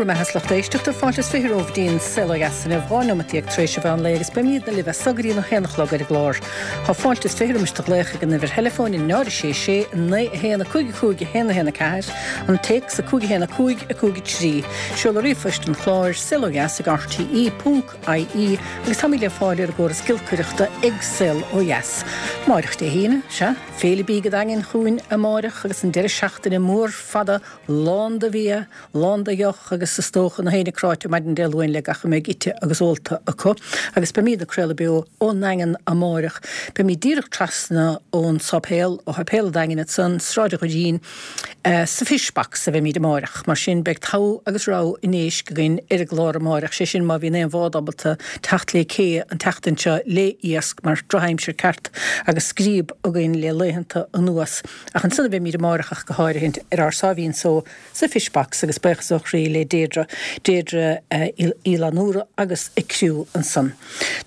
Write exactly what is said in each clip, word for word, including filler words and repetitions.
Go raibh maith agat a lucht éisteachta fáilte is fiche romhaibh go dtí an Saol Ó Dheas inniu dhá neomat déag tar éis an mheán lae agus beimidne libh as so go dtí a haon a chlog ar an gclár. Tá fáilte is fiche roimis do ghlaoch ag an uimhir theileafóin náid a sé sé naoi a haon a cúig a cúig a haon a haon a ceathair, an téacs a cúig a haon a cúig a cúig a trí. Seoladh ríomhphoist an chláir saol ó dheas ag RTE ponc IE agus táimid le fáil ar an gcóras giolcaireachta ag Saol Ó Dheas. Amárach Dé hAoine, sea, Féile Bídh an Daingin chugainn amárach agus an deireadh seachtaine mór fada lán de bhia, lán de dheoch agus is dócha na héinne cráite maidin Dé Luain le gach a mbeidh ite agus ólta acu. Agus beimid ag craoladh beo ón nDaingean amárach. Beimid díreach trasna ón sáipéal, ó Sháipéal an Daingin ansan, Sráid an Ghoirín, sa Fish Box a bheimid amárach. Mar sin beidh togha agus rogha an éisc againn ar an gclár amárach, sé sin má bhíonn aon bhád ábalta teacht le cé an tseachtain seo le iasc mar drochaimsir ceart agus scríob againn le laethanta anuas. Ach ansan a bheimid amárach ach go háirithint ar ár sáimhín só sa Fish Box agus buíochas ó chroí le Deirdre, Deirdre Uí Fhlannúra agus a criú ansan.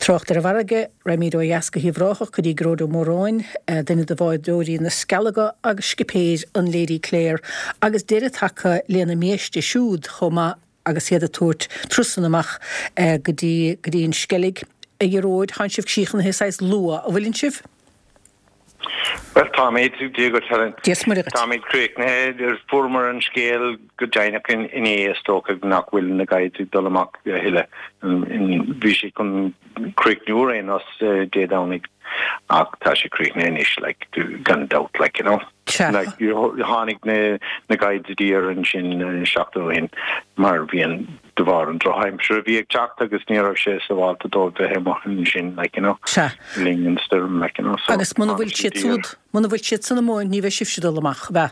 Trácht ar an bhfarraige, raghaimid ó dheas go hUíbh Ráthach go dtí Gearóid Ó Móráin, duine de bhádóirí na Scealaga agus scipéir an Lady Clare agus deireadh tagtha lena mbiaiste siúd chomh maith agus iad ag tabhairt turasanna amach go dtí go dtí an Sceilg. A Ghearóid, tánn sibh críochnaithe saghas luath, an bhfuileann sibh? Bhuel, táimid, Dia dhuit Helen. Dia is Muire dhuit. Táimid críochnaithe, fuaireamar an scéal go deimhneach inné is dócha nach bhfuil na guides ag dul amach a thuilleadh. Bhí sé chun críochnú ar aon nós Dé Domhnaigh ach tá sé críochnaithe anois, like, gan dabht, like, you know. Sea. Like, tháinig na na guides i dtír ansin seachtain ó shin mar bhí an de bharr an drochaimsir a bhí ag teacht agus ní raibh sé sábháilte dóibh bheith amuigh ansin, like, you know, Sea. le linn an stoirm, like, you know, so Agus muna tháinig bhfuil siad siad i dtír. siúd, muna bhfuil siad san amuigh, ní bheidh sibhse ag dul amach, ab ea?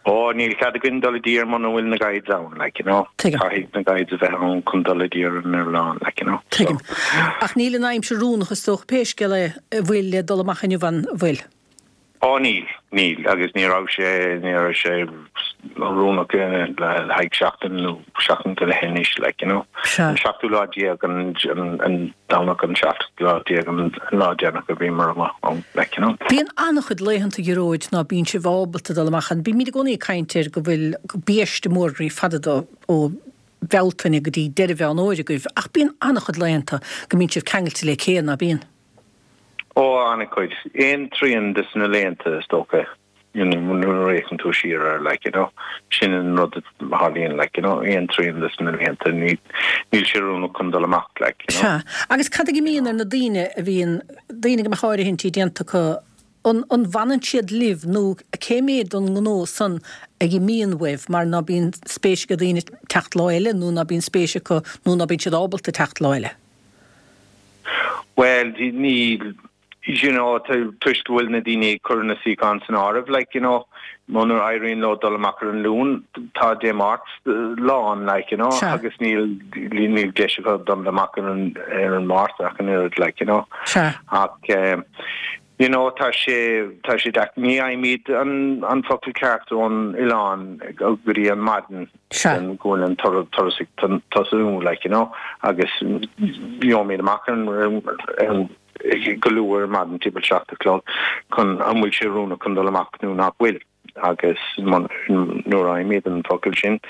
Ó, níl cead againn dul i dtír muna bhfuil na guides ann, like, you know. Tuigim. Caithfidh na guides a bheith ann chun dul i dtír ar an oileán, like, you know, so. Tuigim. Ach níl an aimsir oiriúnach is dócha pé scéal é, an bhfuil le dul amach inniu an bhfuil? Ó níl, níl, agus ní raibh sé, ní raibh sé oiriúnach le haghaidh seachtain nó seachtain go leith anois, like, you know. Sea. An seachtú lá déag, an, an Domhnach an seachtú lá déag an lá deireanach a bhíomar amuigh ann, like, you know. Bíonn an-chuid laethanta, a Ghearóid, ná bíonn sibh ábalta dul amach ann. Bímid i gcónaí ag caint ar go bhfuil biaiste mór groí fada do, ó Bhealtaine go dtí deireadh Mheán Fhómhair agaibh, ach bíonn an-chuid laethanta go mbíonn sibh ceangailte le cé, ná bíonn? Ó, an-chuid. Aon trian des na laethanta, is dócha, you know, nuair a fhéachann tú siar air, like, you know. Sin an rud a tharlaíonn, like, you know, aon trian des na laethanta, ní, níl sé oiriúnach chun dul amach, like, you know. Sea. Agus cad a imíonn ar na daoine a bhíonn, daoine go mbeadh áirithintí déanta acu, an, an bhfanann siad libh nó cé mhéad den ngnó san a imíonn uaibh mar ná bíonn spéis ag daoine teacht lá eile nó ná bíonn spéis acu nó ná bíonn siad ábalta teacht lá eile? Bhuel, níl, you know, toisc go bhfuil na daoine ag cur na suíocháin san áireamh, like, you know, muna éiríonn leo dul amach ar an Luan, tá Dé Máirt lán, like, you know, Sea. agus níl, níl deis acu dul amach ar an, ar an Máirt ach an oiread, like, you know. Sea. Ach, eh, you know, tá sé, tá sé deacair, ní fhaighimid an, an focal ceart ón oileán go dtí an maidin. Sea. go bhfuil an turas ag tosú, like, you know, agus gheobhaimid amach ar an go luath ar maidin timpeall seacht a chlog chun an bhfuil sé oiriúnach chun dul amach nó nach bhfuil agus nuair a fhaighimid an focal sin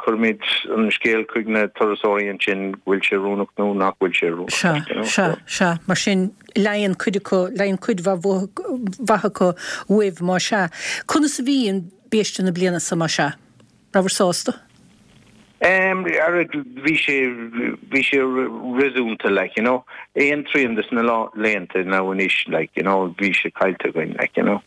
cuirimid an scéal chuig na turasóirí ansin go bhfuil sé oiriúnach nó nach bhfuil sé oiriúnach. Sea, sea, sea, mar sin leigeann cuid acu, leigeann cuid mhaith acu uaibh má sea. Conas a bhí an biaiste na bliana seo má sea? Rabhabhair sásta? Em, ara, bhí sé, bhí sé réasúnta, like, you know. Aon trian des na laethanta now anois, like, you know, bhí sé caillte againn, like, you know.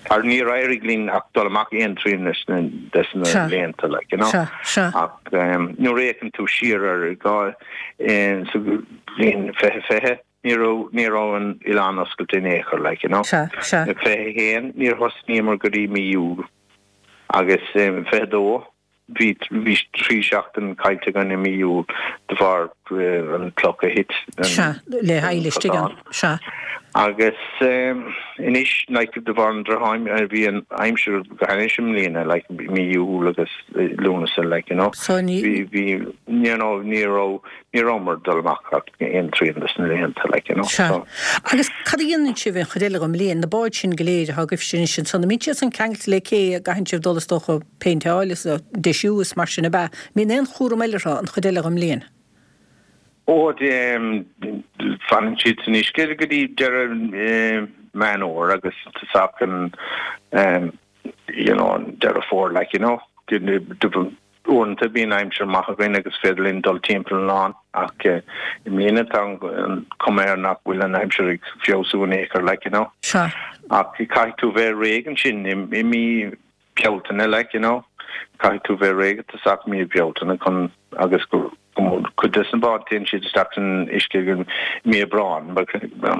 Ar níor éirigh linn ach dul amach aon trian des na, des na Sea. laethanta, like, you know. Sea, sea. Ach, em, nuair a fhéachann tú siar ar dhá, eh, sa bhliain fiche fiche, Ní raibh, ní raibh an oileán oscailte in aon chor, like, you know. Sea, sea. I fiche a haon, níor thosnaíomar go dtí mí Iúil agus i fiche a dó, bhí, bhí trí seachtain caillte againn i mí Iúil de bharr an cloch a thit Sea, le an haghaidh istigh ann, cosán. sea. Agus anois, like, de bharr an drochaimsir, bhí an aimsir go hainnis i mbliana, like, mí Iúil agus Lúnasa, like, you know. So ní. Bhí, bhí, you know, ní raibh, ní rabhamar ag dul amach ach aon trian des na laethanta, like, you know. Sea. So. Agus cad a dhéanann sibh an chuid eile den mbliain, na báid sin go léir atá agaibhse anois ansan, an mbíonn siad san ceangailte le cé a gcaitheann sibh dul is dócha péinteáil is deisiú is mar sin ab ea? An mbíonn aon chúram eile orthu an chuid eile den mbliain? Ó, fanann siad san uisce go dtí deireadh Meán Fhómhair agus tosach an you know an Deireadh Fómhair like you know. Uaireanta bíonn aimsir maith againn agus féidir linn dul timpeall an oileáin ach i mbliana tá an cuma air nach bhfuil an aimsir ag feabhsú in aon chor like you know. Sea. Ach caithfidh tú bheith réidh ansin i mí Bealtaine like you know. Caithfidh tú bheith réidh i dtosach mí Bealtaine chun agus go cuid des na báid téann siad isteach san uisce i mí Aibreáin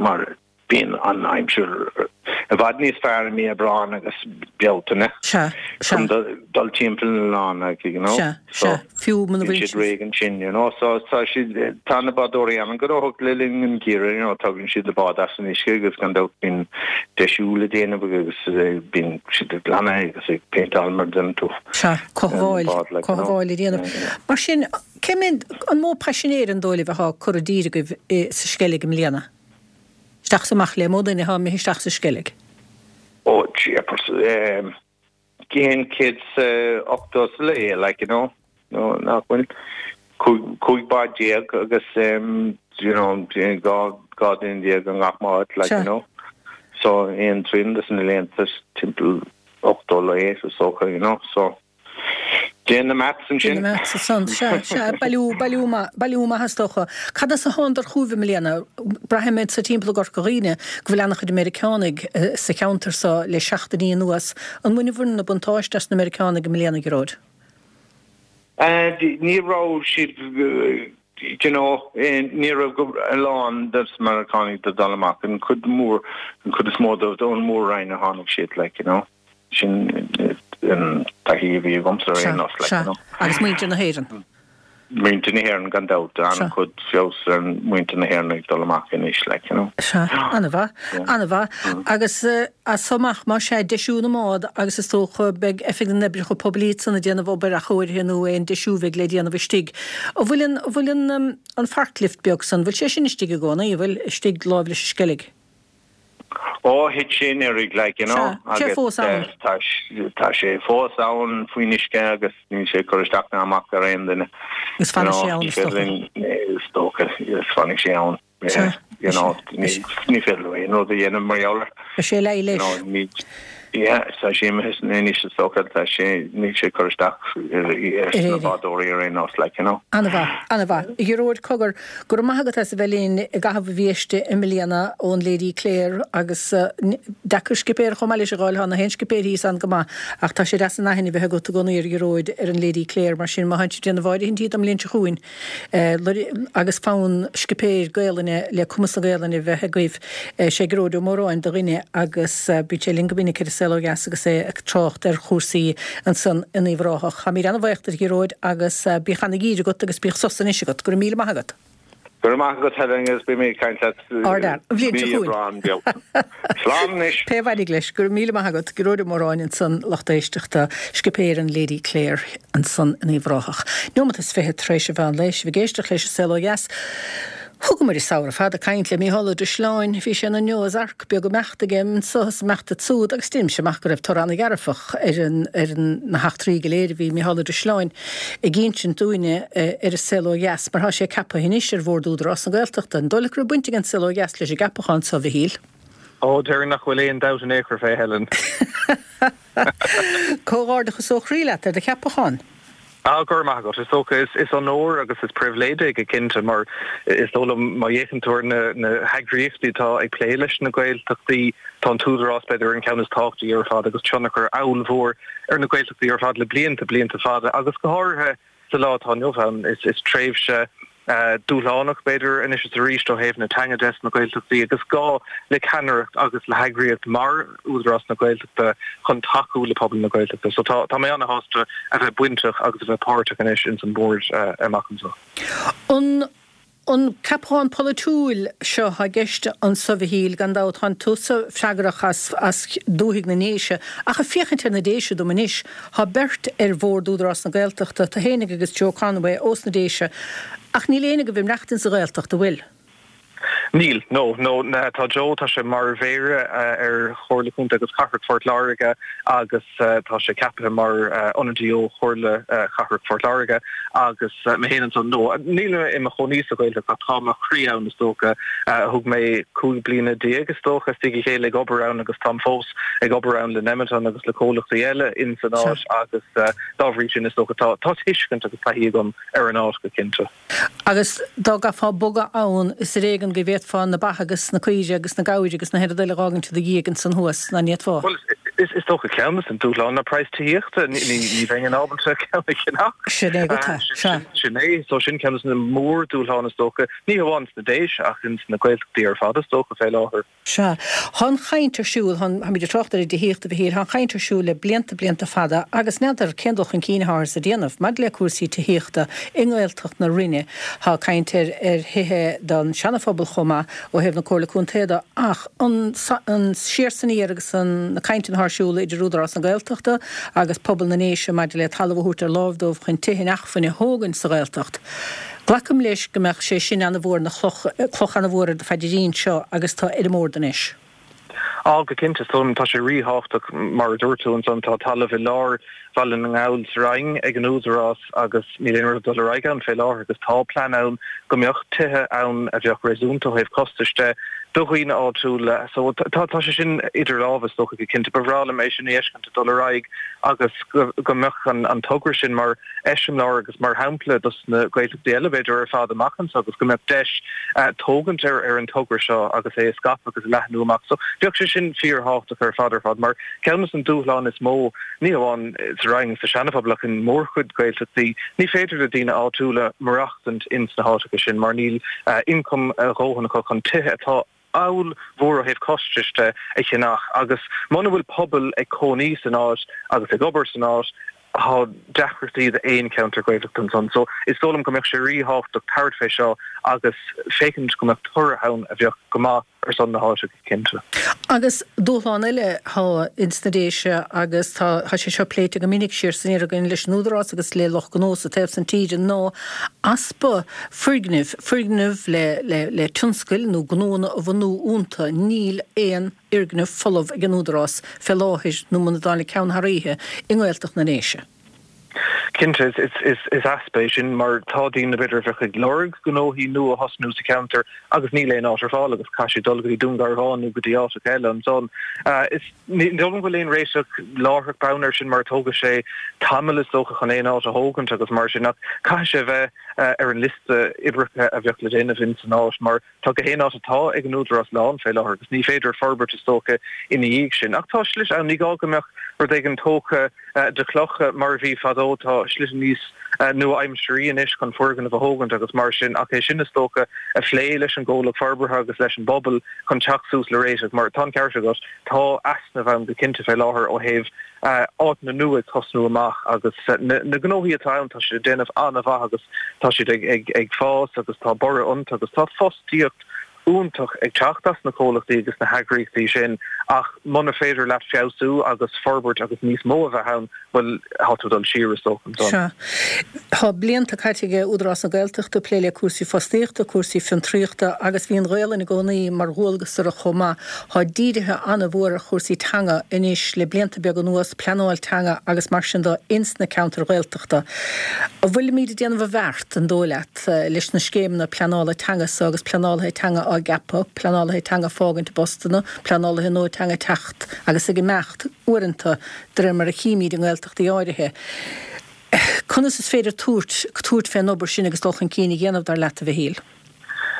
mar bíonn an aimsir i bhfad níos fearr i mí Aibreáin agus Bealtaine Sea, sea. chun dul timpeall an oileáin like you know. Sea, So sea. Fiú muna bíonn bhfuil siad réidh ansin you know. So tá siad tá na bádóirí an-ghnóthach le linn an gheimhridh you know tagann siad na báid as an uisce agus gan dabht bíonn deisiú le déanamh agus bíonn siad ag glanadh agus ag péinteáil mar a deireann tú. Sea, cothabháil, An bád like you know. cothabháil a dhéanamh. Mar sin, cé mhéad, an mó paisinéir an dóigh libh atá curtha i dtír agaibh sa Sceilg i mbliana? Isteach is amach le, mó duine atá imithe isteach sa Sceilg? Ó, jeepers, um, aon chéad 's ochtó sa lae, like, you know, nó nach bhfuil? Cúig, cúig bád déag agus, um, you know, dhá, dhá duine déag i ngach mbád, like, Sea. you know. So, aon trian des na laethanta, timpeall ochtó lae, is dócha, you know, so. Déan na maths ansin. Déan na maths ansan. Sea, sea, bailiú, bailiú maith, bailiú maith is dócha. Cad as a thánadar chugaibh i mbliana? Braithim anso timpeall i gCorca Dhuibhne go bhfuil an-chuid Meiriceánaigh sa cheantar so le seachtainí anuas. An mbaineabhair na buntáiste as na Meiriceánaigh i mbliana, a Ghearóid? Ní raibh siad, you know, ní raibh a lán des na Meiriceánaigh ag dul amach, an chuid mór, an chuid is mó dóibh ón Mór-Roinn a tháinig siad, like, you know. Sin an taithí a bhí agamsa ar aon nós, like, you know. Agus muintir na hÉireann. Muintir na hÉireann gan dabht, an-chuid feabhas ar mhuintir na hÉireann ag dul amach anois, like, you know. Sea, an-mhaith, an-mhaith. Agus as so amach, más ea, deisiú na mbád agus is dócha beidh Oifig na nOibreacha Poiblí ansan ag déanamh obair athchóirithe nó aon deisiú a bheidh le déanamh istigh. An bhfuil an, an bhfuil an, an forklift beag san, an bhfuil sé sin istigh i gcónaí, an bhfuil, istigh láimh leis an Sceilg? Ó, thit sé anuraidh, like, you know, Sea, sé agus fós ann. tá, tá sé fós ann faoin uisce agus níl sé ag cur isteach ná amach ar aon duine. Agus You fanfaidh know, sé ann, ní is féidir dócha. linn, is dócha, is fanfaidh sé ann. Sea, You know, is ní, ní féidir leo aon rud a dhéanamh mar gheall air. Beidh sé leis You leis. know, ní, yeah, tá sé imithe anois is dócha, tá sé, níl sé ag cur isteach ar, ar Ar na éinne. bádóirí ar aon nós, like, you know. An-mhaith, an-mhaith. A Ghearóid, cogar, go raibh maith agat as a bheith linn i gcaitheamh an mhí Feabhra i mbliana ón Lady Clare agus deacair scipéir chomh maith leis a dh'fháil, tá na haon scipéir thíos ann go maith ach tá sé deas an aithne a bheith agat i gcónaí ar Ghearóid ar an Lady Clare mar sin má tánn sibh ag déanamh áirithintí don mbliain seo chugainn agus fonn scipéir Gaelainne le cumas na Gaelainne a bheith agaibh, sé Gearóid Ó Móráin do dhuine agus bíonn sé linn go minic ar An Saol Ó Dheas agus é ag trácht ar chúrsaí ansan in Uíbh Ráthach. Táimid an-bhuíoch duit a Ghearóid agus bíodh an-gheimhreadh agat agus bíodh sos anois agat. Go raibh míle maith agat. Go raibh maith agat Helen agus beidh mé ag caint leat Ardfhear. An bhliain seo mí chugainn. Aibreán Bealtaine. Slán anois. Pé a bhainfidh leis. Go raibh míle maith agat. Gearóid Ó Móráin ansan, lucht éisteachta, scipéir an Lady Clare ansan in Uíbh Ráthach. Neomat is fiche tar éis an mheán lae, sibh ag éisteacht leis An Saol Ó Dheas. Thugamar an samhradh fada ag caint le Mícheál Ó Drisleáin. Bhí sé ina Noah's Ark beag ag imeacht aige anso is ag imeacht ansúd agus deinimse amach go raibh toradh ana-dhearfach ar an ar na heachtraí go léir a bhí Mícheál Ó Drisleáin ag insint dúinne ar An Saol Ó Dheas mar tá sé ceaptha anois ar Bhord Údarás na Gaeltachta. An dóigh leat go raibh baint ag An Saol Ó Dheas leis an gceapachán so, a Mhichíl? Ó, déarfainn nach bhfuil aon dabht in aon chor fé, Helen. Comhghairdeachas ó chroí leat ar do cheapachán. Ah, go raibh maith agat. Is dócha, is is onóir agus is pribhléid é go cinnte mar is dóigh liom má fhéachann tú ar na na heagraíochtaí atá ag plé leis na Gaeltachtaí, tá an tÚdarás b'fhéidir an ceann is tábhachtaí ar fad agus tionchar ollmhór ar na Gaeltachtaí ar fad le blianta, blianta fada agus go háirithe sa lá atá inniu ann. Is is tréimhse dúshlánach, b'fhéidir, anois is arís ó thaobh na teanga de sna Gaeltachtaí agus gá le ceannaireacht agus le heagraíocht mar Údarás na Gaeltachta chun tacú le pobal na Gaeltachta. So tá tá mé ana-shásta a bheith bainteach agus a bheith páirteach anois ins an bord amach anseo. An An ceapachán polaitiúil seo atá i gceist anso, a Mhichíl, gan dabht tánn tusa freagrach as as dúthaigh na nDéise, ach ag féachaint ar na Déise dom anois, thá beirt ar bhord Údarás na Gaeltachta, tú fhéinig agus Joe Conway ós na Déise, ach níl éinne agaibh ag maireachtaint sa Ghaeltacht, an bhfuil? Níl, no, no, tá Joe, tá sé mar mhéara ar Chomhairle Contae agus Cathrach Phort Láirge agus tá sé ceaptha mar ionadaí ó Chomhairle Cathrach Phort Láirge agus mé féin ansan, no, níl mé i mo chónaí sa Ghaeltacht ach tá mo chroí ann is dócha. Thug mé cúig bliana déag is dócha as a chéile ag obair ann agus táim fós ag obair ann le Nemeton agus le comhlachtaí eile in san áit agus dá bhrí sin is dócha tá tá tuiscint agus taithí agam ar an áit go cinnte. Agus dá gcaithfeá bogadh ann, is ar éigean go bhféadfá na ba agus na caoire agus na gabhair agus na haon rud eile a dh'fhágaint i do dhiaidh ansan thuas, ná ní fhéadfá? Bhuel, is is dócha ceann de na dúshláin ná praghas tithíochta, ní ní bheinn ábalta ceann a cheannach. Sin é go tá, sea. Sin é, so sin ceann de na mórdhúshláin is dócha, ní hamháin sna Déise ach ins na Gaeltachtaí ar fad is dócha fé láthair. Sea. Thá an chaint ar siúl, tháimid ag trácht ar an dtithíocht, a Mhichíl, thá an chaint ar siúl le blianta, blianta fada agus n'fheadar cén dul chun cinn atáthar a dhéanamh maidir le cúrsaí tithíochta i nGaeltacht na Rinne. Thá caint ar ar thithe don seanaphobal chomh maith ó thaobh na Comhairle Contae de ach an an siar 's aniar agus an na cainteanna athá ar siúl idir Údarás na Gaeltachta agus pobal na nDéise maidir le talamh a thabhairt ar láimh dóibh chun tithe inacmhainne a thógaint sa Ghaeltacht. Glacaim leis go mbeadh sé sin ana-mhór ina chloch, cloch ana-mhór ar do phaidrín seo agus tá ar an mbord anois. Á, go cinnte, is dóigh liom, tá sé ríthábhachtach, mar a dúirt tú ansan, tá talamh i lár Bhaile na nGall sa Rinn ag an Údarás agus níl aon rud ag dul ar aghaidh ann fé láthair agus tá plean ann go mbeadh tithe ann a bheadh réasúnta ó thaobh costais de do dhaoine áitiúla. So tá tá sé sin idir lámha is dócha go cinnte. Ba bhreá liom é sin a fheiscint ag dul ar aghaidh agus go go mbeadh an an togra sin mar eiseamláir agus mar shampla dos na Gaeltachtaí eile b'fhéidir ar fad amach anseo agus go mbeadh deis tógaint ar ar an togra seo agus é a scaipeadh agus a leathnú amach. So bheadh sé sin fíorthábhachtach ar fad ar fad mar ceann de na dúshláin is mó ní hamháin sa Rinn sa Seanaphobal ach in mórchuid Gaeltachtaí ní féidir le daoine áitiúla maireachtaint ins na háiteacha sin mar níl ioncam a dhóthain acu chun tithe atá ollmhór ó thaobh costais de a cheannach agus muna bhfuil pobal ag cónaí san áit agus ag obair san áit tá deacrachtaí d'aon cheantar Gaeltachta ansan. So is dóigh liom go mbeadh sé ríthábhachtach tabhairt fé seo agus féachaint go mbeadh toradh ann a bheadh go maith ar son na háite go cinnte. Agus dúshlán eile thá ins na Déise agus tá tá sé seo pléite go minic siar 's aniar againn leis an Údarás agus le lucht gnó sa taobh san tíre ná easpa foirgnimh, foirgnimh le le le tionscail nó gnónna a bhunú iontu. Níl aon fhoirgneamh folamh ag an Údarás fé láthair nó muna dtáinig ceann thar oíche i nGaeltacht na nDéise. Cinnte, is easpa é sin mar tá daoine b'fhéidir a bheadh ag lorg gnóthaí nua a thosnú sa cheantar agus níl aon áit ar fáil agus caithfidh siad dul go dtí Dún Garbhán nó go dtí áiteacha eile ansan. Is ní dóigh liom go bhfuil aon réiteach láithreach bonn air sin mar tógfaidh sé tamall is dócha chun aon áit a thógaint agus mar sin ach caithfidh sé a bheith ar an liosta oibreacha a bheadh le déanamh ins an áit mar tá gach aon áit atá ag an Údarás lán fé láthair agus ní féidir forbairt is dócha ina dhiaidh sin. Ach tá slite ann, ní gá go mbeadh rud éigin tógtha de chlocha mar a bhí fadó, tá slite níos nua-aimsearaí anois chun foirgnimh a thógaint agus mar sin ach é sin is dócha a phlé leis an gcomhlacht forbartha agus leis an bpobal chun teacht suas le réiteach mar tá an ceart agat, tá easnamh ann go cinnte fé láthair ó thaobh áiteanna nua ag tosnú amach agus na gnóthaí atá ann tá siad ag déanamh an-mhaith agus tá siad ag fás agus tá borradh iontu agus tá fostaíocht iontach ag teacht as na comhlachtaí agus na heagraíochtaí sin ach muna féidir leat feabhsú agus forbairt agus níos mó a bheith ann, bhuel, tá tú ag dul siar is dócha ansan. Sea. Tá blianta caite ag Údarás na Gaeltachta ag plé le cúrsaí fostaíochta, cúrsaí fiontraíochta agus bhí an Ghaelainn i gcónaí mar dhualgas orthu chomh maith. Tá dírithe an-mhór ar chúrsaí teanga anois le blianta beaga anuas, pleanáil teanga agus mar sin de ins na ceantair Ghaeltachta. An bhfuilimid ag déanamh i bhfeart, an dóigh leat? leis na scéimeanna pleanála teanga so agus pleanálaithe teanga á gceapadh, pleanálaithe teanga ag fágaint a bpostanna, pleanálaithe nua teanga ag teacht agus ag imeacht uaireanta de réir mar a chímid i nGaeltachtaí áirithe. Conas is féidir tabhairt tabhairt fén obair sin agus dul chun cinn a dhéanamh, dar leat, a Mhichíl?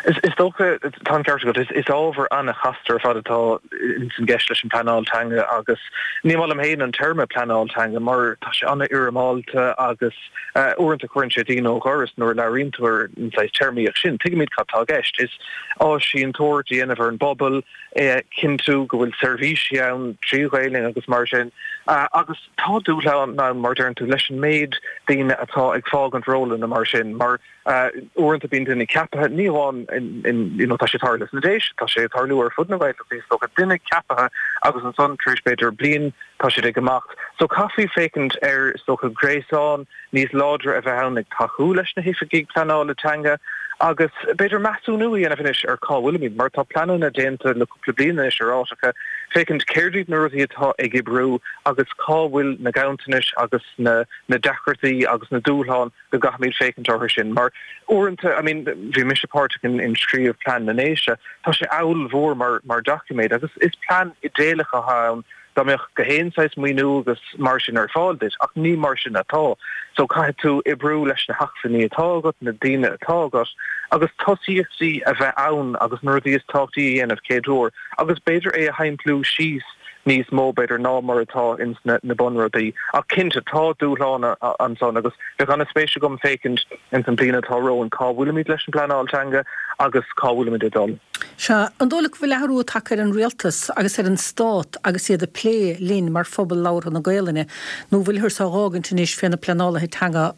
Is dócha, tá an ceart agat, is ábhar an-chasta ar fad atá ins an gceist leis an bpleanáil teanga agus ní maith liom féin an téarma pleanáil teanga mar tá sé an-fhoirmeálta agus Uaireanta cuireann sé daoine ó dhoras nuair a labhraíonn tú ar an saghas téarmaíocht sin. Tuigimid cad tá i gceist. Is áisínteoireacht a dhéanamh ar an bpobal, é a chinntiú go bhfuil seirbhísí ann trí Ghaelainn agus mar sin. Agus tá dúshlán ann, mar a deireann tú, leis an méid daoine atá ag fágaint rólanna mar sin, mar uaireanta bíonn duine ceaptha, ní amháin in, you know, tá sé ag tarlú sna Déise, tá sé ag tarlú ar fud na Gaeltachta, is dócha, duine ceaptha agus ansan tar éis b'fhéidir bliain tá siad ag imeacht. So caithfí féachaint ar, is dócha, gréasán níos láidre a bheith ann ag tacú leis na hoifigigh pleanála teanga agus b'fhéidir measúnú a dhéanamh anois ar cá bhfuilimid, mar tá pleananna déanta le cúpla bliain anois ar áiteacha, féachaint céard iad na rudaí atá ag oibriú agus cá bhfuil na ganntanais agus na na deacrachtaí agus na dúshláin go gcaithfimid féachaint orthu sin. Mar uaireanta, I mean, bhí mise páirteach in in scríobh plean na nDéise, tá sé ollmhór mar mar doiciméad agus is plean idéalach atá ann dá mbeadh gach aon saghas maoiniú agus mar sin ar fáil duit, ach ní mar sin atá. So caithfidh tú oibriú leis na hacmhainní atá agat, na daoine atá agat, agus tosaíochtaí a bheith ann agus na rudaí is tábhachtaí a dhéanamh céad uair, agus b'fhéidir é a shimpliú síos níos mó b'fhéidir ná mar atá ins na na bunrudaí. Ach cinnte tá dúshlán ansan agus bheadh an-spéis agam féachaint ins an bliain atá romhainn cá bhfuilimid leis an bpleanáil teanga agus cá bhfuilimid ag dul. Sea, an dóigh leat go bhfuil athrú tagtha ar an rialtas agus ar an stát agus iad ag plé linn mar phobal labhartha na Gaelainne, nó bhfuilthear á dh'fhágaint anois fé na pleanálaithe teanga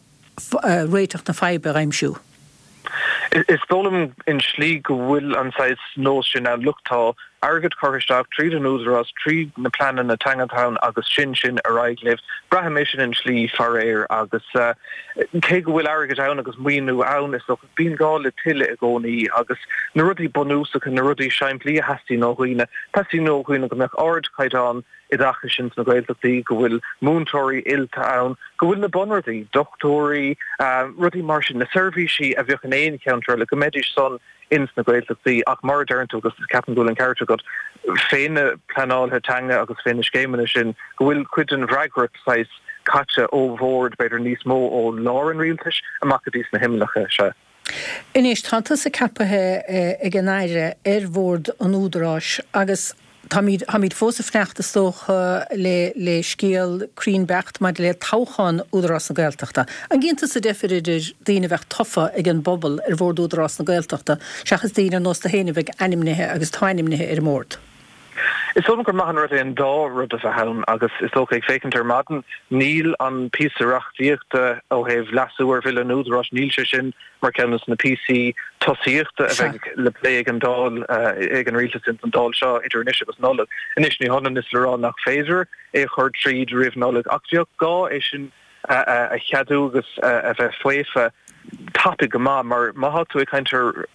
réiteach na faidhbe a aimsiú? Is dóigh liom in slí go bhfuil an saghas nós sin ann, look tá airgead curtha isteach tríd an Údarás, tríd na pleananna teanga atá ann agus sin sin ar aghaidh libh. Braithim é sin in slí faraor agus cé go bhfuil airgead ann agus maoiniú ann is dócha bíonn gá le tuilleadh i gcónaí agus na rudaí bunúsacha, na rudaí simplí a theastaíonn ó dhaoine, teastaíonn ó dhaoine go mbeadh ardchaighdeán oideachais ins na Gaeltachtaí, go bhfuil múinteoirí oilte ann, go bhfuil na bunrudaí, dochtúirí, rudaí mar sin, na seirbhísí a bheadh in aon cheantar eile, go mbeidís san ins na Gaeltachtaí. Ach mar a deireann tú, agus ceapaim go bhfuil an ceart agat, fé na pleanálaithe teanga agus fé na scéimeanna sin, go bhfuil cuid den bhfreagracht saghas caite ó bhord, b'fhéidir níos mó ó lár an rialtais amach go dtí sna himileacha. Sea. Anois, tá tusa ceapaithe ag an Aire ar Bhord an Údaráis agus táimid, táimid fós ag fanacht is dócha le, le scéal cruinn beacht maidir le toghchán Údarás na Gaeltachta. An gcíonn tusa deifir idir daoine a bheadh tofa ag an bpobal ar Bhord Údarás na Gaeltachta seachas daoine ar nós tú féin a bheidh ainmnithe agus atá ainmnithe ar an mbord? Is dóigh liom gur maith an rud é an dá rud a bheith ann agus is dócha ag féachaint ar maidin, níl an píosa reachtaíochta ó thaobh leasú ar Bhille an Údaráis, níl sé sin mar cheann de na píosaí tosaíochta a bheidh le plé ag an Dáil, ag an Rialtas ins an Dáil seo idir anois agus Nollaig. Anois ní hionann is le rá nach féidir é a chur tríd roimh Nollaig ach bheadh gá é sin a cheadú agus a bheith faofa tapaidh go maith mar má thá tú ag caint ar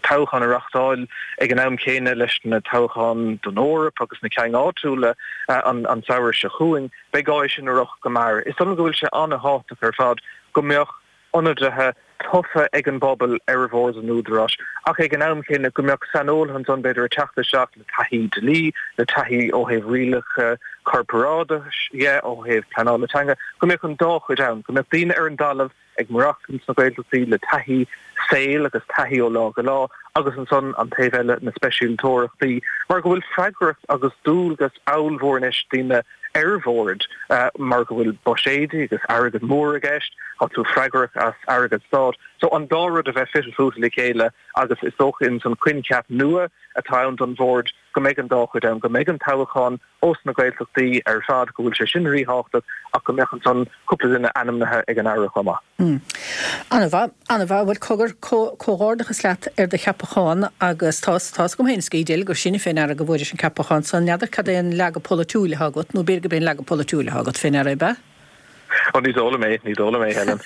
toghchán a reachtáil ag an am céanna leis na toghcháin don Eoraip agus na cinn áitiúla an samhradh seo chugainn, beidh gá é sin a rith go mear. Is dóigh liom go bhfuil sé an-thábhachtach ar fad go mbeadh ionadaithe tofa ag an bpobal ar bhord an Údaráis ach ag an am céanna go mbeadh saineolaithe ansan b'fhéidir ag teacht isteach le taithí dlí, le taithí ó thaobh rialacha corparáideachais dhe, ó thaobh pleanála teanga, go mbeadh an dá chuid ann, go mbeadh daoine ar an dtalamh ag maireachtaint sna Gaeltachtaí le taithí saoil agus taithí ó lá go lá agus ansan an taobh eile, na speisialtóireachtaí, mar go bhfuil freagracht agus dualgas ollmhór anois daoine ar bhord mar go bhfuil buiséidí agus airgead mór i gceist, tá tú freagrach as airgead stáit. So an dá rud a bheith fite fuaite le chéile agus is dócha ins an coincheap nua atá ann don bhord go mbeidh an dá chuid ann, go mbeidh an toghchán ós na Gaeltachtaí ar fad, go bhfuil sé sin ríthábhachtach ach go mbeadh ansan cúpla duine ainmnithe ag an Aire chomh maith. An-mhaith, an-mhaith. Bhuel, cogar, comhghairdeachas leat ar do cheapachán agus tá, tá's agam féin is go deimhin gur sinne fé ndeara go bhfuairis an ceapachán san. N'fheadar cad é an leagadh polaitiúil atá agat, nó b'fhéidir gurb é an leagadh polaitiúil atá agat fé ndeara, ab ea? Ó, ní dóigh liom é, ní dóigh liom é, Helen.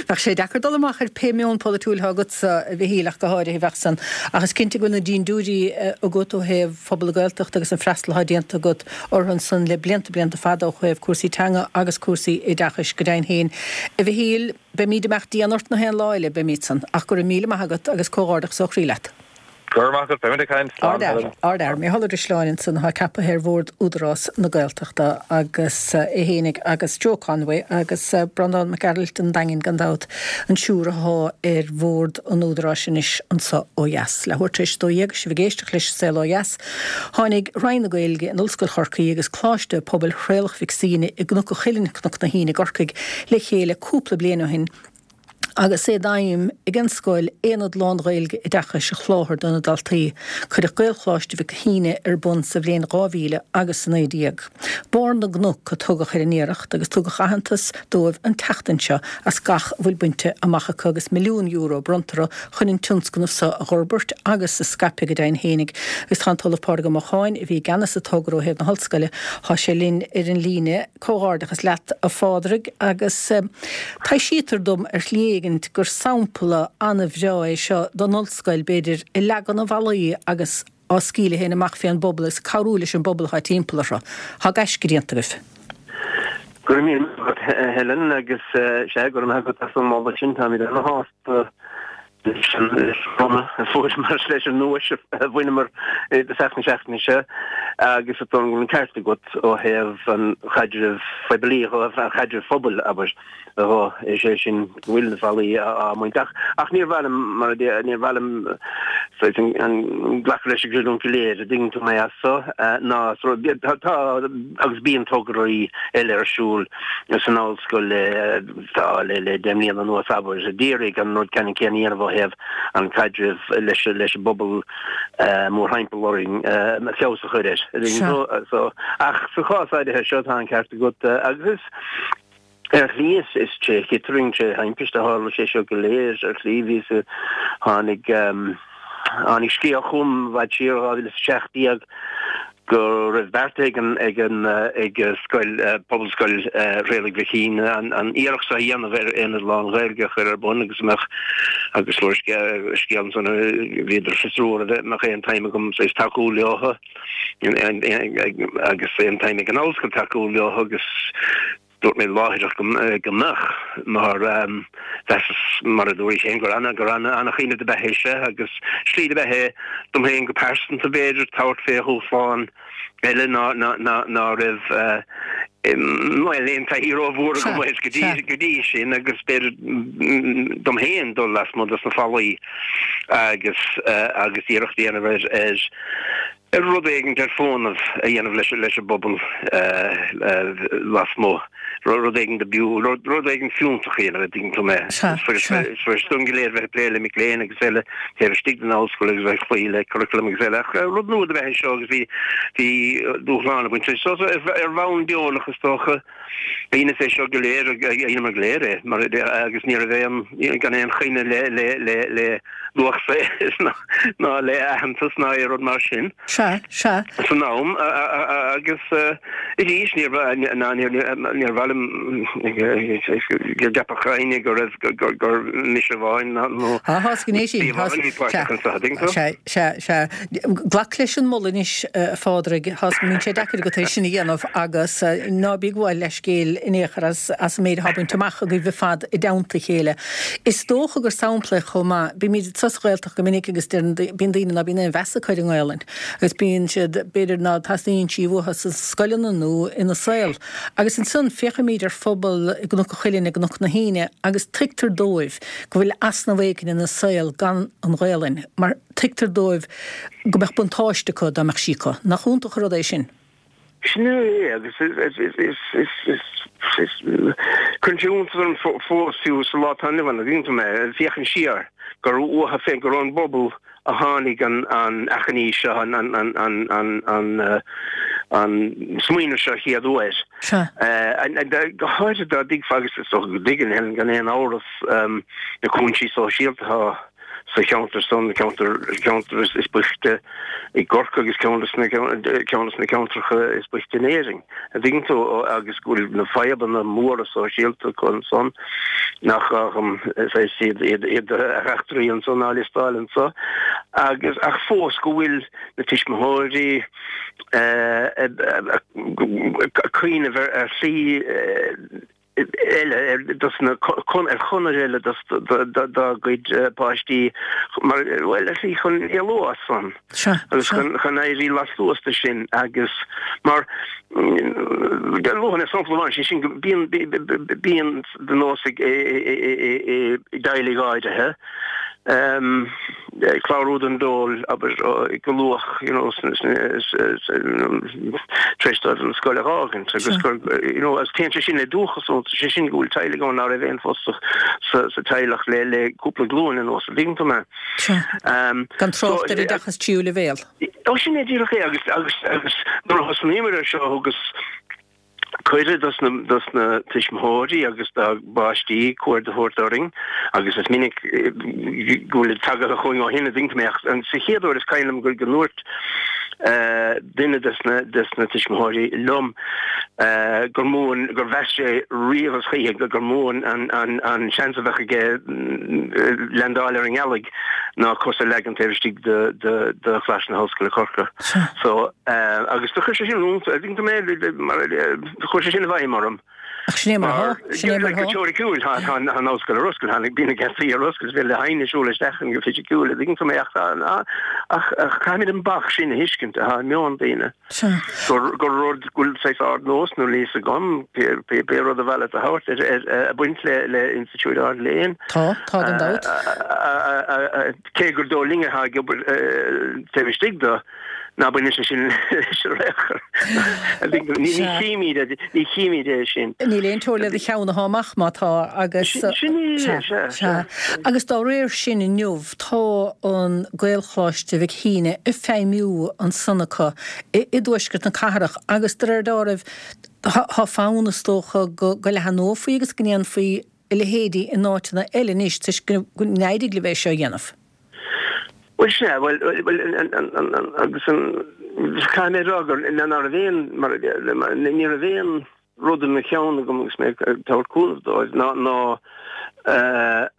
Bheadh sé deacair dul amach ar pé meon polaitiúil atá agatsa, a Mhichíl, ach go háirithe, bheadh san. Ach is cinnte go bhfuil na dindiúirí agat ó thaobh phobal na Gaeltachta agus an freastal atá déanta agat orthu ansan le blianta, blianta fada ó thaobh cúrsaí teanga agus cúrsaí oideachais go deimhin féin. A Mhichíl, beimíd ag imeacht dian ort na haon lá eile, beimíd san. Ach go raibh míle maith agat agus comhghairdeachas ó chroí leat. Go raibh maith agat, beimid ag caint. Slán, Helen. Ardfhear, Mícheál Ó Drisleáin ansan atá ceapaithe ar bhord Údarás na Gaeltachta agus é fhéinig agus Joe Conway agus Breandán Mac Gearailt an Daingin gan dabht, an triúr athá ar bhord an Údaráis anois anso ó dheas. Leathuair tar éis a dó dhéag is sibh ag éisteacht leis An Saol Ó Dheas. Tháinig Roinn na Gaeilge in Ollscoil Chorcaí agus Coláiste Pobail Thraolach Mhic Suibhne i gCnoc an Chuilinn, Cnoc na hAoine i gCorcaigh le chéile cúpla bliain ó shin, Agus é d'aidhm ag an scoil aonad lán-Ghaeilge oideachais a sholáthar do na daltaí, cuireadh Gaelcholáiste Mhic Thíne ar bun sa bhliain dhá mhíle agus a naoi déag. Barr na gCnoc a tugadh ar an iarracht agus tugadh aitheantas dóibh an tseachtain seo as gach a bhfuil bainte amach acu agus milliún euro bronnta orthu chun an tionscnamh seo a dh'fhorbairt agus a scaipeadh go deimhin fhéinig. Agus tá an tOllamh Pádraig Ó Mocháin, a bhí i gceannas sa togra ó thaobh na hollscoile, tá sé linn ar an líne. Comhghairdeachas leat a Phádraig agus taibhsítear dom ar shlí éigint gur sampla an-bhreá é seo don ollscoil, b'fhéidir, ag leagan na bhfallaí agus á scaoileadh féin amach fén bpobal agus cabhrú leis an bpobal atá timpeall orthu. Tá gaisce déanta agaibh. Go raibh míle maith agat, a Helen, agus sea, go raibh maith agat as an moladh sin. Táimid ana-shásta leis an bronnadh a fuaireamar, leis an nduais a bhaineamar i dtosach na seachtaine seo agus is dóigh liom go bhfuil an ceart agat ó thaobh an chaidrimh phoiblí, ó thaobh an chaidrimh phobail, abair. Dhó, is é sin go bhfuil na fallaí á mbaint. Ach, ach níor mhaith liom, mar a deir, níor mhaith liom saghas an, an, glacadh leis an gcreidiúint go léir, a dtuigeann tú mé as so, ná so, tá, tá agus bíonn tograí eile ar siúl san ollscoil le, tá, le, le deich mbliana anuas, abair, a d'iarraidh an rud ceannann céanna a dhéanamh ó thaobh an caidreamh leis, leis an bpobal mórthimpeall orainn, feabhas a chur air, a dtuigeann tú, so, ach sa chás áirithe seo tá an ceart agat agus is, Ar shlí is is tré chitrang, tré thimpiste a tharla sé seo go léir. Ar shlí bhíos a tháinig tháinig scéal chugam i bhfad siar, dhá mhíle is a seacht déag, go raibh beartaithe ag an ag an ag scoil Pobalscoil Thraolaigh Mhic an an iarracht seo a dhéanamh ar aonad lán-Ghaeilge a chur ar bun agus mbeadh agus fuair scéal scéal ansan bhíodar ag fiosrú an mbeadh aon tsuim agam saghas tacú leo agus aon tsuim ag an ollscoil tacú leo agus Dúirt mé láithreach go mbeadh, mar mheasas, mar a dúraís féin, gur an-chuimhneamh do b'ea é seo agus slí do b'ea é dom féin go pearsanta, b'fhéidir, tabhairt fé dhúshlán eile ná raibh bhuel, aon taithí rómhór agam air go dtí sin agus b'fhéidir dom féin dul lasmuigh dos na fallaí agus agus iarracht a dhéanamh ar ar rud éigin ar fónamh a dhéanamh leis leis an bpobal lasmuigh, rud éigin do b'fhiú, rud éigin fiúntach a dhéanamh, a dtuigeann tú mé. Sea, Is sea. Is fuirist dúinn go léir bheith ag plé le mic léinn agus eile taobh istigh den ollscoil agus bheith ag cloí le curriculum agus eile ach rud nua do b'ea é seo agus bhí bhí dúshlán ag baint leis. So ar bhonn deonach is dócha dheineas é seo go léir, dheineamar go léir é mar agus ní raibh aon, gan aon choinne le le le le luach saothair ná le aitheantas ná aon rud mar sin. Sea, sea. San am agus arís níor níor mhaith liom go gceapfadh éinne go raibh gur mise amháin nó Tá gné sin. bhí páirteach anseo, an dtuigeann tú? Sea, sea, sea. Glac leis an moladh anois, a Phádraig. Tá mbíonn sé deacair agat é sin a dhéanamh agus ná bí ag gabháil leithscéil in aon chor as as an méid atá bainte amach agaibh ar fad i dteannta a chéile. Is dócha gur sampla é chomh maith. Bímid sa Ghaeltacht go minic agus deireann, bíonn daoine ná bíonn aon mheas acu ar an nGaelainn agus bíonn siad, b'fhéidir ná teastaíonn sí uathu sna scoileanna nó ina saol. Agus ansan féachaimid ar phobal i gCnoc an Chuilinn, i gCnoc na hAoine agus tuigtear dóibh go bhfuil easnamh éigin ina saol gan an Ghaelainn mar tuigtear dóibh go mbeadh buntáiste acu dá mbeadh sí acu. Nach iontach an rud é sin? Sin é agus cuireann sé iontas orm fós fiú sa lá atá inniu ann, an dtuigeann tú mé, féachaint siar gur uathu féin, gur ón bpobal a tháinig an achainí seo, an smaoineamh seo chéad uair. Go háirithe dá dtuigfeá, agus is dócha go dtuigeann Helen gan aon amhras, na cúinsí sóisialta atá sa cheantar san, ceantar ceantar is boichte i gCorcaigh agus ceann de ceann de na ceantracha is boichte in Éirinn, a dtuigeann tú, agus go bhfuil na fadhbanna móra sóisialta acu ansan nach gá dhom saghas iad iad iad a eachtraí anso ná a liostáil anso agus ach fós go bhfuil na tuismitheoirí ag cuimhneamh ar shlí eile dos na ar chonair eile dos dá gcuid páistí mar bhuel ar shlí chun éalú as san agus chun chun éirí lastuas de sin agus mar luafainn mé sampla amháin sé sin go bíonn bíonn de nós ag i dteaghlaigh áirithe Clárú don dól, abair, go luath, you know, tar éis dóibh an scoil a fhágaint agus gur, you know, agus téann sé sin le dúchas iontu, sé sin go bhfuil teaghlaigh ann ná raibh aon phósadh sa sa teaghlach le le cúpla glúin anuas, an dtuigeann tú mé? Sea. Gan trácht ar oideachas tríú leibhéal. Ó sin é díreach é agus agus agus nuair a thosnaíomar ar seo thugas cuireadh dos na dos na tuismitheoirí agus dá bpáistí cuaird a thabhairt orainn agus is minic go bhfuilid tagtha chugainn ó shin an dtuigeann tú mé ach sa chéad uair is cuimhin liom go go ndúirt duine des na des na tuismitheoirí liom gur mó an gur mheas sé riamh is choíche gur mó an an an seans a bheadh aige leaindeáil ar an ngealaigh ná cos a leagan taobh istigh de de de Choláiste na hOllscoile Corcaigh. So agus do chuir sé sin an dtuigeann tú mé mar chuir sé sin i bhfeidhm orm. Ach sin é mar atá, sin é mar atá. Go teoiriciúil tá tá an ollscoil ar oscailt, tá bíonn na geataí ar oscailt, is féidir le héinne siúl isteach ann go fisiciúil, an dtuigeann tú mé ach tá ach ach caithfimid an bac sin a thuiscint atá i meon daoine. Sea. Gur gur rud go bhfuil saghas ardnós nó níl a fhios agam pé pé pé rud a mhaith leat a thabhairt ar ar ag baint le le institiúid ard-léinn. Tá, tá gan dabht. Cé gur dóigh linn atá ag obair taobh istigh de, ná baineann sé sin leis ar aon chor. Ní chímid ní chímid é sin. Níl aon teora le do cheann atá amach má tá agus. Sin é, sea, sea. Agus dá réir sin inniu tá an Gaelcholáiste Mhic Thíne ag feidhmiú ansan acu i dtuaisceart na cathrach agus de réir dealraimh tá fonn is dócha go leathanófaí agus go ndéanfaí a leithéidí in áiteanna eile anois toisc go n-éirigh libh é seo a dhéanamh. Bhuel, sea, bhuel, bhuel, agus an, caithfidh mé a rá gur, ná raibh aon, mar, ní raibh aon rud i mo cheann agam agus mé ag tabhairt cúnamh dóibh ná, ná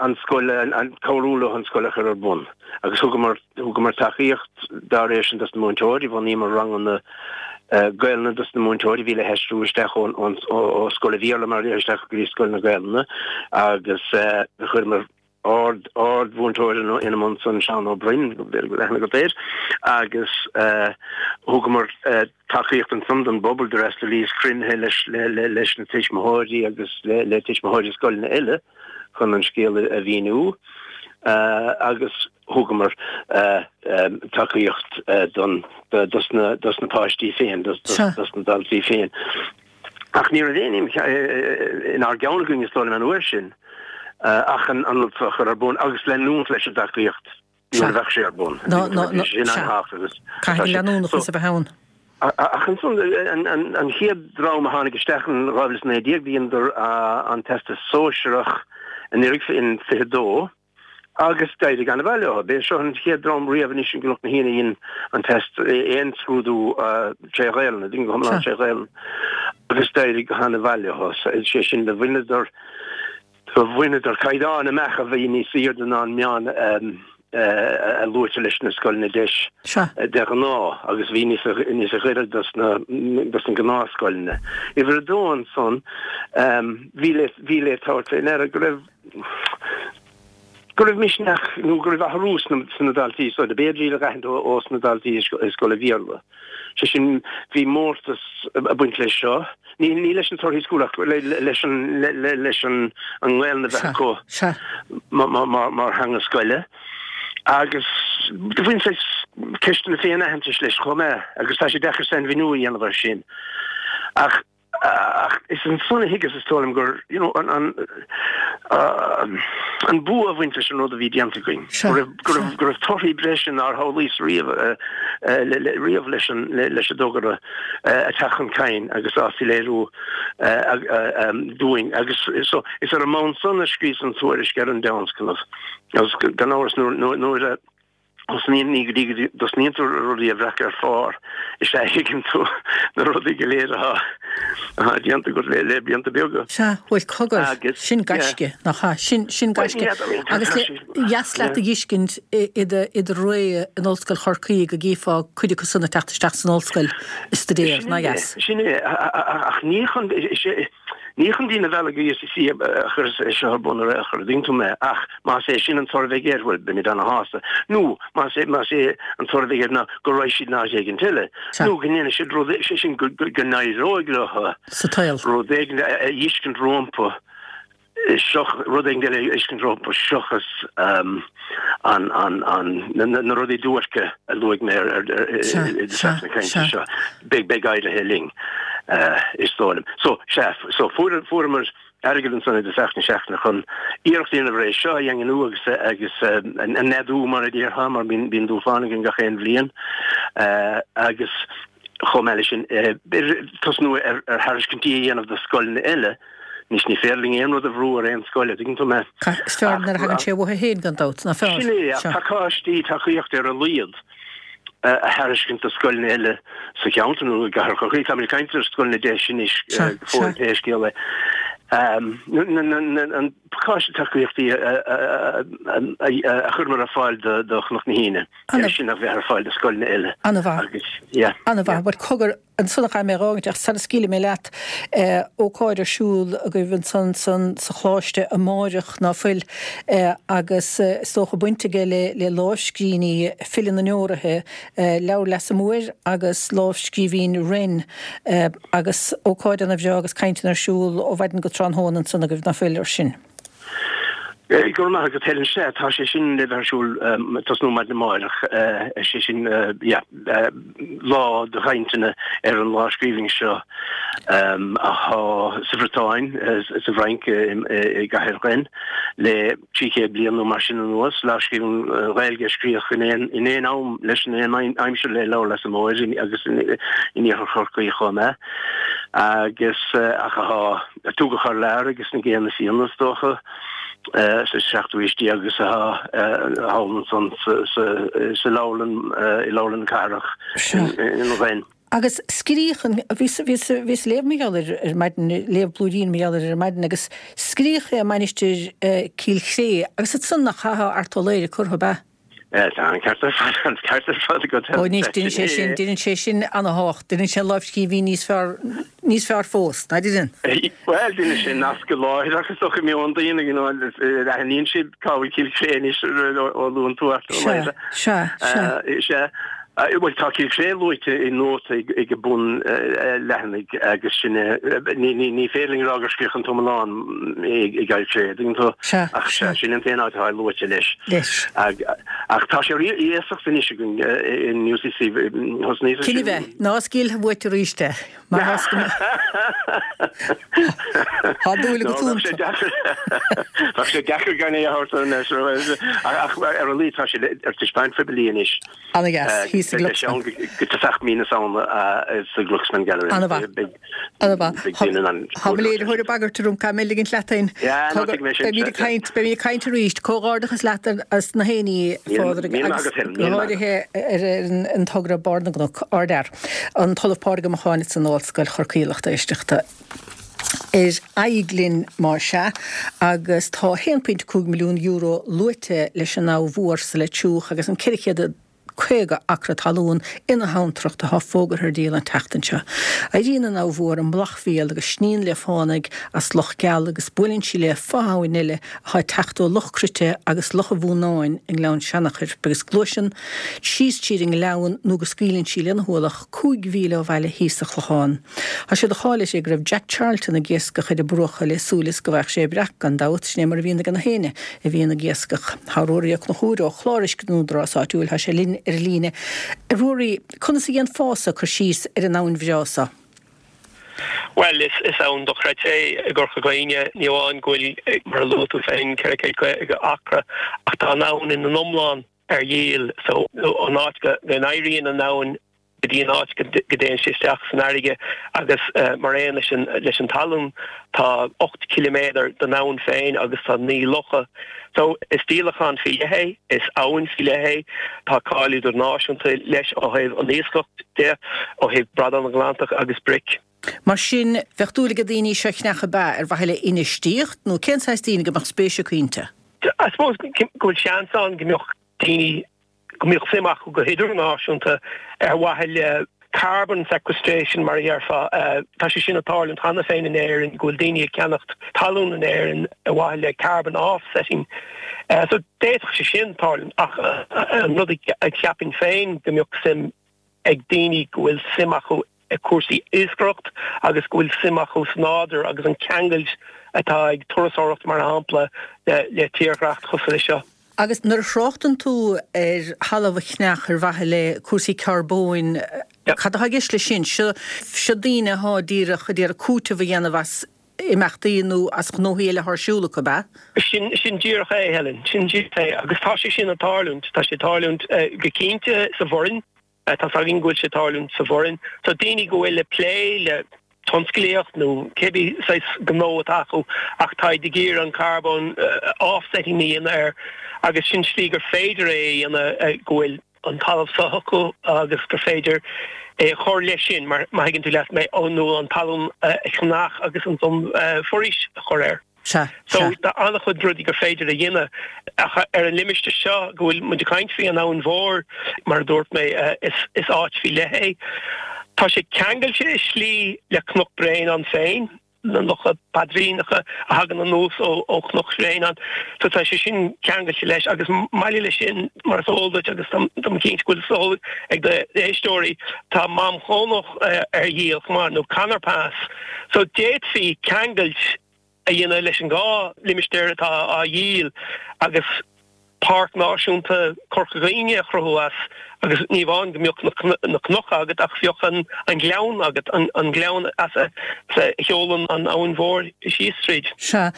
an scoil, an, cabhrú leo an scoil a chur ar bun. Agus thugamar, thugamar tacaíocht dá réir sin dos na múinteoirí, bhunaíomar ranganna Gaelainne dos na múinteoirí a bhí le haistriú isteach ón, ón, ó scoil an Bhéarla mar isteach go dtí scoil na Gaelainne agus chuireamar ard, ard-mhúinteoir ina mbun san, Seán Ó Broin, b'fhéidir go bhfuil aithne agat air, agus thugamar tacaíocht ansan don bpobal, d'fhreastalaíos cruinnithe leis, leis na tuismitheoirí agus le tuismitheoirí scoileanna eile chun an scéal a mhíniú agus thugamar tacaíocht don, dos na, dos na páistí féin, dos, dos na daltaí féin. Ach ní raibh aon ní inár gceann againn is dóigh liom an uair sin ach an rud seo a chur ar bun agus leanúint leis an dtacaíocht nuair a bheadh sé ar bun. Sin an-tábhachtach agus Caithfidh an leanúnachas a bheith ann. Ach ansan an chéad dream a tháinig isteach in dhá mhíle is naoi déag dheineadar an Teastas Sóisearach anuraidh in fiche dó. Agus d'éirigh an-mhaith leo. B'é seo an chéad dream riamh anois i gCnoc na hAoine a dhein an test, aon scrúdú tré Ghaelainn, go hiomlán tré Ghaelainn. Agus d'éirigh go han-mhaith leo. Sé sin, do bhaineadar, do bhaineadar caighdeán amach a bhí níos aoirde ná an meán a luaitear leis na scoileanna deis de ghnáth agus bhí níos, níos gaire dos na, dos na gnáthscoileanna. Uimhir a dó ansan, bhí le, bhí le tabhairt fé ndeara go raibh, go raibh misneach nó go raibh athrú sna daltaí so b'fhéidir iad a dh'aithint ó sna daltaí i scoil an Bhéarla. Sé sin, bhí mórtas ag baint leis seo, ní ní leis na torthaí scoile ach leis an leis an an nGaelainn a bheith acu mar theanga scoile. Agus do bhain saghas ceisteanna féin-aitheantais leis chomh maith agus tá sé deacair sainmhíniú a dhéanamh air sin. Ach. Ach is ansan a thuigeas, is dóigh liom, gur, you know, an, an, an bua a bhaint leis an rud a bhí déanta againn. Go raibh, go raibh, go raibh torthaí breise nár shamhlaíos riamh, riamh leis an, leis an dtogra ag teacht chun cinn agus á soiléiriú dúinn. Agus so, is ar an mbonn san a scríos an tuairisc ar an dtionscnamh. Agus gan amhras nuair, nuair a, Thosnaíonn, ní go dtí go dtosnaíonn tú rudaí a bhreacadh ar phár is ea a thuigeann tú na rudaí go léir atá atá déanta agat le le blianta beaga. Sea, bhuel cogar, Agus, sin yeah. gaisce, nach ea? Sin, sin Bhuel, gaisce. n'fheadar, I mean, tá Agus tá le, sé, dheas leat yeah. a dh'fheiscint i i do i do ré in Ollscoil Chorcaí go gcífeá cuid acu san ag teacht isteach san ollscoil ag staidéar, Sin nach é, dheas? sin é, ach ní chun, is é, Ní chun daoine a mhealladh go UCC a chuireas é seo ar bun ar aon chor, an dtuigeann tú mé, ach más é sin an toradh a bheidh air, bhuel, beimid ana-shásta. Nó más é, más é an toradh a bheidh air ná go raghaidh siad in áit éigin eile, Sea. nó go ndéanfaidh siad rud, sé sin, go, go, go n-éireoidh leo Sa tsaol. rud éigin a, a fheiscint rompu Seo rud éigin eile a fheiscint rompu seachas an an an na rudaí duairce a luaigh mé ar i dtosach na cainte seo. Beidh beidh éirithe linn is dóigh liom. So sea, so fuair fuaireamar airgead ansan i dtosach na seachtaine chun iarracht a dhéanamh ar é seo a dhaingniú agus agus a neadú mar a déarfá mar bíonn bíonn dúshlán againn gach aon bhliain agus chomh maith leis sin tosnú ar thairiscintí a dhéanamh do scoileanna eile. Anois ní féidir linn aon rud a bhrú ar aon scoil, a dtuigeann tú mé. Is fearr nuair a thagann sé uathu féin gan dabht, nach fearr? Sin é, ach pacáistí tacaíochta ar a laghad a thairiscint do scoileanna eile sa cheantar nó i gcathair Chorcaí. Táimid ag caint ar scoileanna deis anois go fóill pé scéal é. An pacáiste tacaíochtaí a chuireamar ar fáil do Chnoc na hAoine, é sin a bheith ar fáil do scoileanna eile. An-mhaith. An-mhaith. Bhuel, cogar, ansan a chaithfidh mé a dh'fhágaint ach sara scaoilfidh mé leat, ócáid ar siúl agaibh ansan san sa Choláiste amáireach, ná fuil? Agus is dócha baint aige le le lámhscríbhinní File na nDeoraithe, Leabhar Leasa Móir agus lámhscríbhinn Wren agus ócáid ana bhreá agus cainteanna ar siúl ó mhaidin go tráthnóna ansan agaibh, ná fuil, ar sin? Go raibh maith agat, Helen. Sea, tá sé sin le bheith ar siúl tosnú maidin amárach, sé sin, yeah, lá de chainteanna ar an lámhscríbhinn seo athá sa Bhriotáin, sa bhFrainc, i gcathair Rennes le trí chéad bliain nó mar sin anuas, lámhscríbhinn Ghaeilge a scríodh in aon in aon am leis in aon aimsir le Leabhar Leasa Móir agus in iarthar Chorcaí chomh maith agus ach athá a tugadh thar lear agus na Géanna Fianna is dócha. sa seachtú haois déag agus athá thall ansan sa leabharlann, i leabharlann na cathrach in Rennes. Agus scríodh an, bhíos, bhíos, bhíos ag léamh mar gheall air ar maidin, léamh blúirín mar gheall air ar maidin agus scríodh é i Mainistir Cill Chré agus ansan nach athá Art Ó Laoghaire curtha, ab ea? Tá an ceart ar fad, an ceart ar fad agat. Ó anois, deineann sé sin, deineann sé sin ana-thábhacht, deineann sé an lámhscríbhinn níos fearr, níos fearr fós, ná deineann? Bhuel, deineann sé nasc láithreach is dócha i meon daoine, you know, aithníonn siad cá bhfuil Cill Chré anois ó luann tú Art Ó Laoghaire. Sea, sea, sea. Sea. Bhuel, tá Cill Chré luaite i nóta ag bun leathanaigh agus sin é. Ní féidir linn a rá gur scríodh an t-iomlán i gCill Chré, an dtuigeann tú? Ach sea, sin an t-aon áit atá luaite leis. Ach tá sé ar iasacht anois againn in UCC. Thosnaíos Cinn a bheith, ná scaoil uait arís é, mar tá dúil agat iontu. Bheadh sé deacair gan é a thabhairt anois, ach ar a laghad tá sé ar taispeáint phoiblí anois. Ana-dheas, thíos sa Glucksman. Go tosach mí na Samhna sa Glucksman Gallery. Ana-mhaith. Ana-mhaith. Tá mo léiritheoir ag bagairt orm, caithfidh mé ligint leat féin. Beimid ag caint, beimid ag caint arís. Comhghairdeachas leat as na hÉiní, a Phádraig, agus go háirithe ar an togra Barr na gCnoc. Ardfhear. An tOllamh Pádraig Ó Macháin san Ollscoil Chorcaí, lucht éisteachta. Ar aghaidh linn más ea, agus tá a haon pointe cúig milliún euro luaite leis an Abha Mhór sa Leitir Triúch agus an ceithre chéad caoga acra talún ina habhantracht atá fógartha ar díol an tseachtain seo. Éiríonn an Abha Mhór i mBlachmhíol agus sníonn léi fánaigh as Loch Geal agus buaileann sí le fo-abhainn eile atá ag teacht ó Loch Cruite agus Loch an Mhúnáin i nGleann Seanachair agus gluaiseann síos tríd an ngleann nó go scaoileann sí lena hualach cúig mhíle ó bhaile thíos sa Chlochán. Tá sé de cháil uirthi go raibh Jack Charlton ag iascach ar a bruacha le súil is go bhfaigheadh sé breac, gan dabht, sin é mar a bhíonn ag na héinne a bhíonn ag iascach. Tá Ruairí Ó Conchúir ó Chlár Uisce an Údarás Áitiúil, tá sé linn ar an líne. A Ruairí, conas a dhéanfása cur síos ar an abhainn bhreá so? Bhuel, is is abhainn dochreidte é i gCorca Dhuibhne. Ní amháin go bhfuil, mar a luaigh tú féin, ceithre chéad caoga acra, ach tá an abhainn ina n-iomlán ar dhíol. So, ón áit go n-éiríonn an abhainn go dtí an áit go dtéann sé isteach san fharraige agus mar aon leis an leis an talún tá ocht ciliméadar den abhainn féin agus tá naoi locha. So is díolachán faoi leith é, is abhainn faoi leith é, tá cáil idirnáisiúnta leis ó thaobh an iascach de, ó thaobh bradán Atlantach agus bric. Mar sin, bheadh dúil ag daoine í seo a cheannach ab ea, ar mhaithe le infheistíocht nó cén saghas daoine go mbeadh spéis acu inti? I suppose go bhfuil seans ann go mbeadh daoine go mbeadh suim acu go hidirnáisiúnta ar mhaithe le carbon sequestration mar a dhéarfá. Tá sé sin ag tarlúint cheana féin in Éirinn, go bhfuil daoine ag ceannacht talún in Éirinn ar mhaithe le carbon offsetting. So d'fhéadfadh sé sin tarlúint ach an rud a cheapfainn féin go mbeadh suim ag daoine go bhfuil suim acu cúrsaí iascaireacht agus go bhfuil suim acu sa nádúr agus an ceangailt atá ag turasóireacht mar shampla le le tírdhreach cosúil leis seo. Agus nuair a thráchtann tú ar thalamh a cheannach ar mhaithe le cúrsaí carbóin, cad atá i gceist leis sin? Seo seo daoine atá díreach ag iarraidh cúiteamh a dhéanamh as imeachtaí nó as gnóthaí eile atá ar siúl acu, ab ea? Sin sin díreach é, Helen, sin díreach é agus tá sé sin ag tarlúint, tá sé ag tarlúint go cinnte sa Bhoirinn. Tá 's againn go bhfuil sé ag tarlúint sa Bhoirinn. So daoine go bhfuil ag plé le tionsclaíocht nó cibé saghas gnó atá acu ach táid ag iarraidh an carbón offsetting a dhéanamh air agus sin slí gur féidir é a dhéanamh go bhfuil an talamh seo acu agus gur féidir é a chur leis sin mar má thuigeann tú leat mé nó an talamh a cheannach agus ansan foraois a chur air. Sea, So sea. tá an-chuid rudaí gur féidir a dhéanamh ach ar an limistéar seo go bhfuil muid ag caint faoi an Abhainn Mhór, mar a dúirt mé, is is áit faoi leith é. Tá sé ceangailte i slí le Cnoc Bréanainn féin, na locha paidríneacha a thagann anuas ó ó Chnoc Bhréanainn. So tá sé sin ceangailte leis agus maille leis sin, mar is eol duit agus tá tá mé cinnte go bhfuil a fhios ag d'éisteoirí, tá Mám Chrónach ar dhíol chomh maith, nó Conor Pass. So d'fhéadfaí ceangailt a dhéanamh leis an dhá limistéar atá á dhíol agus Páirc Náisiúnta Chorca Dhuibhne a chruthú as agus ní amháin go mbeadh na cnoca agat ach bheadh an gleann agat, an gleann as a sheolann an Abhainn Mhór síos tríd. Sea,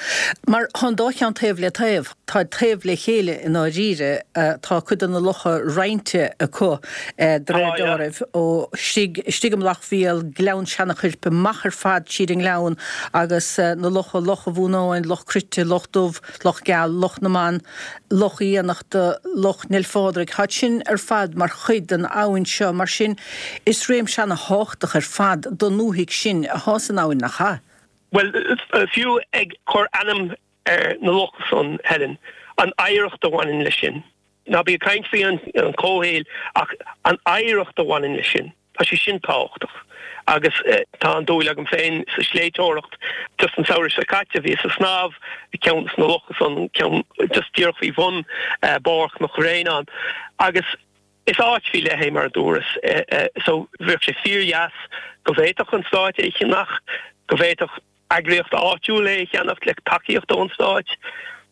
mar tá an dá cheann taobh le taobh. Táid taobh le chéile i ndáiríre. Tá cuid de na locha roinnte acu de réir dealraimh, ó istigh istigh i Mullach Mhíl, Gleann Seanachoirp, amach ar fad tríd an ngleann agus na locha, Loch an Bhuanáin, Loch Cruite, Loch Dubh, Loch Geal, Loch na mBan, Loch Fhiannachta, Loch Neil Phádraig, táid sin ar fad mar chuid den abhainn seo. Mar sin, is réimse ana-thábhachtach ar fad don ndúthaigh sin athá san abhainn, nach ea? Bhuel, fiú ag cur ainm ar na locha san, Helen, an oidhreacht a bhaineann leis sin. Ná bí ag caint faoi an comhshaol ach an oidhreacht a bhaineann leis sin, tá sé sin tábhachtach. Agus tá an dúil agam féin sa sléibhteoireacht. Just an samhradh seo caite bhíos ag snámh i gceann de na locha san, ceann just díreach faoi bhun barr Chnoc Bhréanainn. Agus is áit faoi leith é mar a dúras. So bheadh sé fíordheas go bhféadfadh an Stát é a cheannach, go bhféadfadh eagraíocht áitiúil é a cheannacht le tacaíocht ón Stát,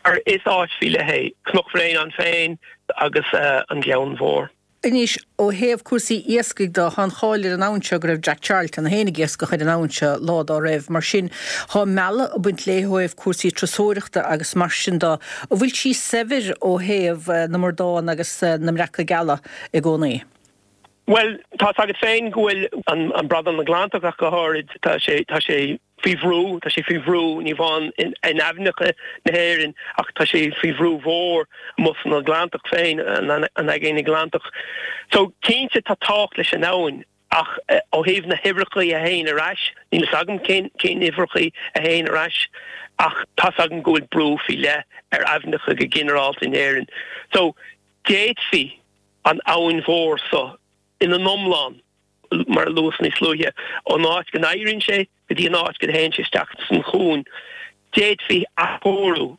mar is áit faoi leith é Cnoc Bhréanainn féin agus an Gleann Mhór. Anois, ó thaobh cúrsaí iascaigh de, tá an cháil ar an abhainn seo go raibh Jack Charlton féin ag iascach ar an abhainn seo lá dá raibh. Mar sin, tá mealladh ag baint léi ó thaobh cúrsaí turasóireachta agus mar sin de. An bhfuil sí saibhir ó thaobh na mbradán agus na mbreaca geala i gcónaí? Bhuel, tá's agat féin go bhfuil an bradán Atlantach ach go háirid, tá sé, tá sé faoi bhrú, tá sé faoi bhrú ní amháin in aibhneacha na hÉireann ach tá sé faoi bhrú mhór amuigh san Atlantach féin, an Aigéan Atlantach. So, cinnte tá tábhacht leis an abhainn ach ó thaobh na huimhreacha a théann ar ais, níl fhios agam cén, cén uimhreacha a théann ar ais ach tá's agam go bhfuil brú faoi leith ar aibhneacha go ginearálta in Éirinn. So, d'fhéadfaí an abhainn mhór so ina n-iomlán, mar a luas níos luaithe, ón áit go n-éiríonn sé go dtí an áit go dtéann sé isteach san chuan. D'fhéadfaí athchóiriú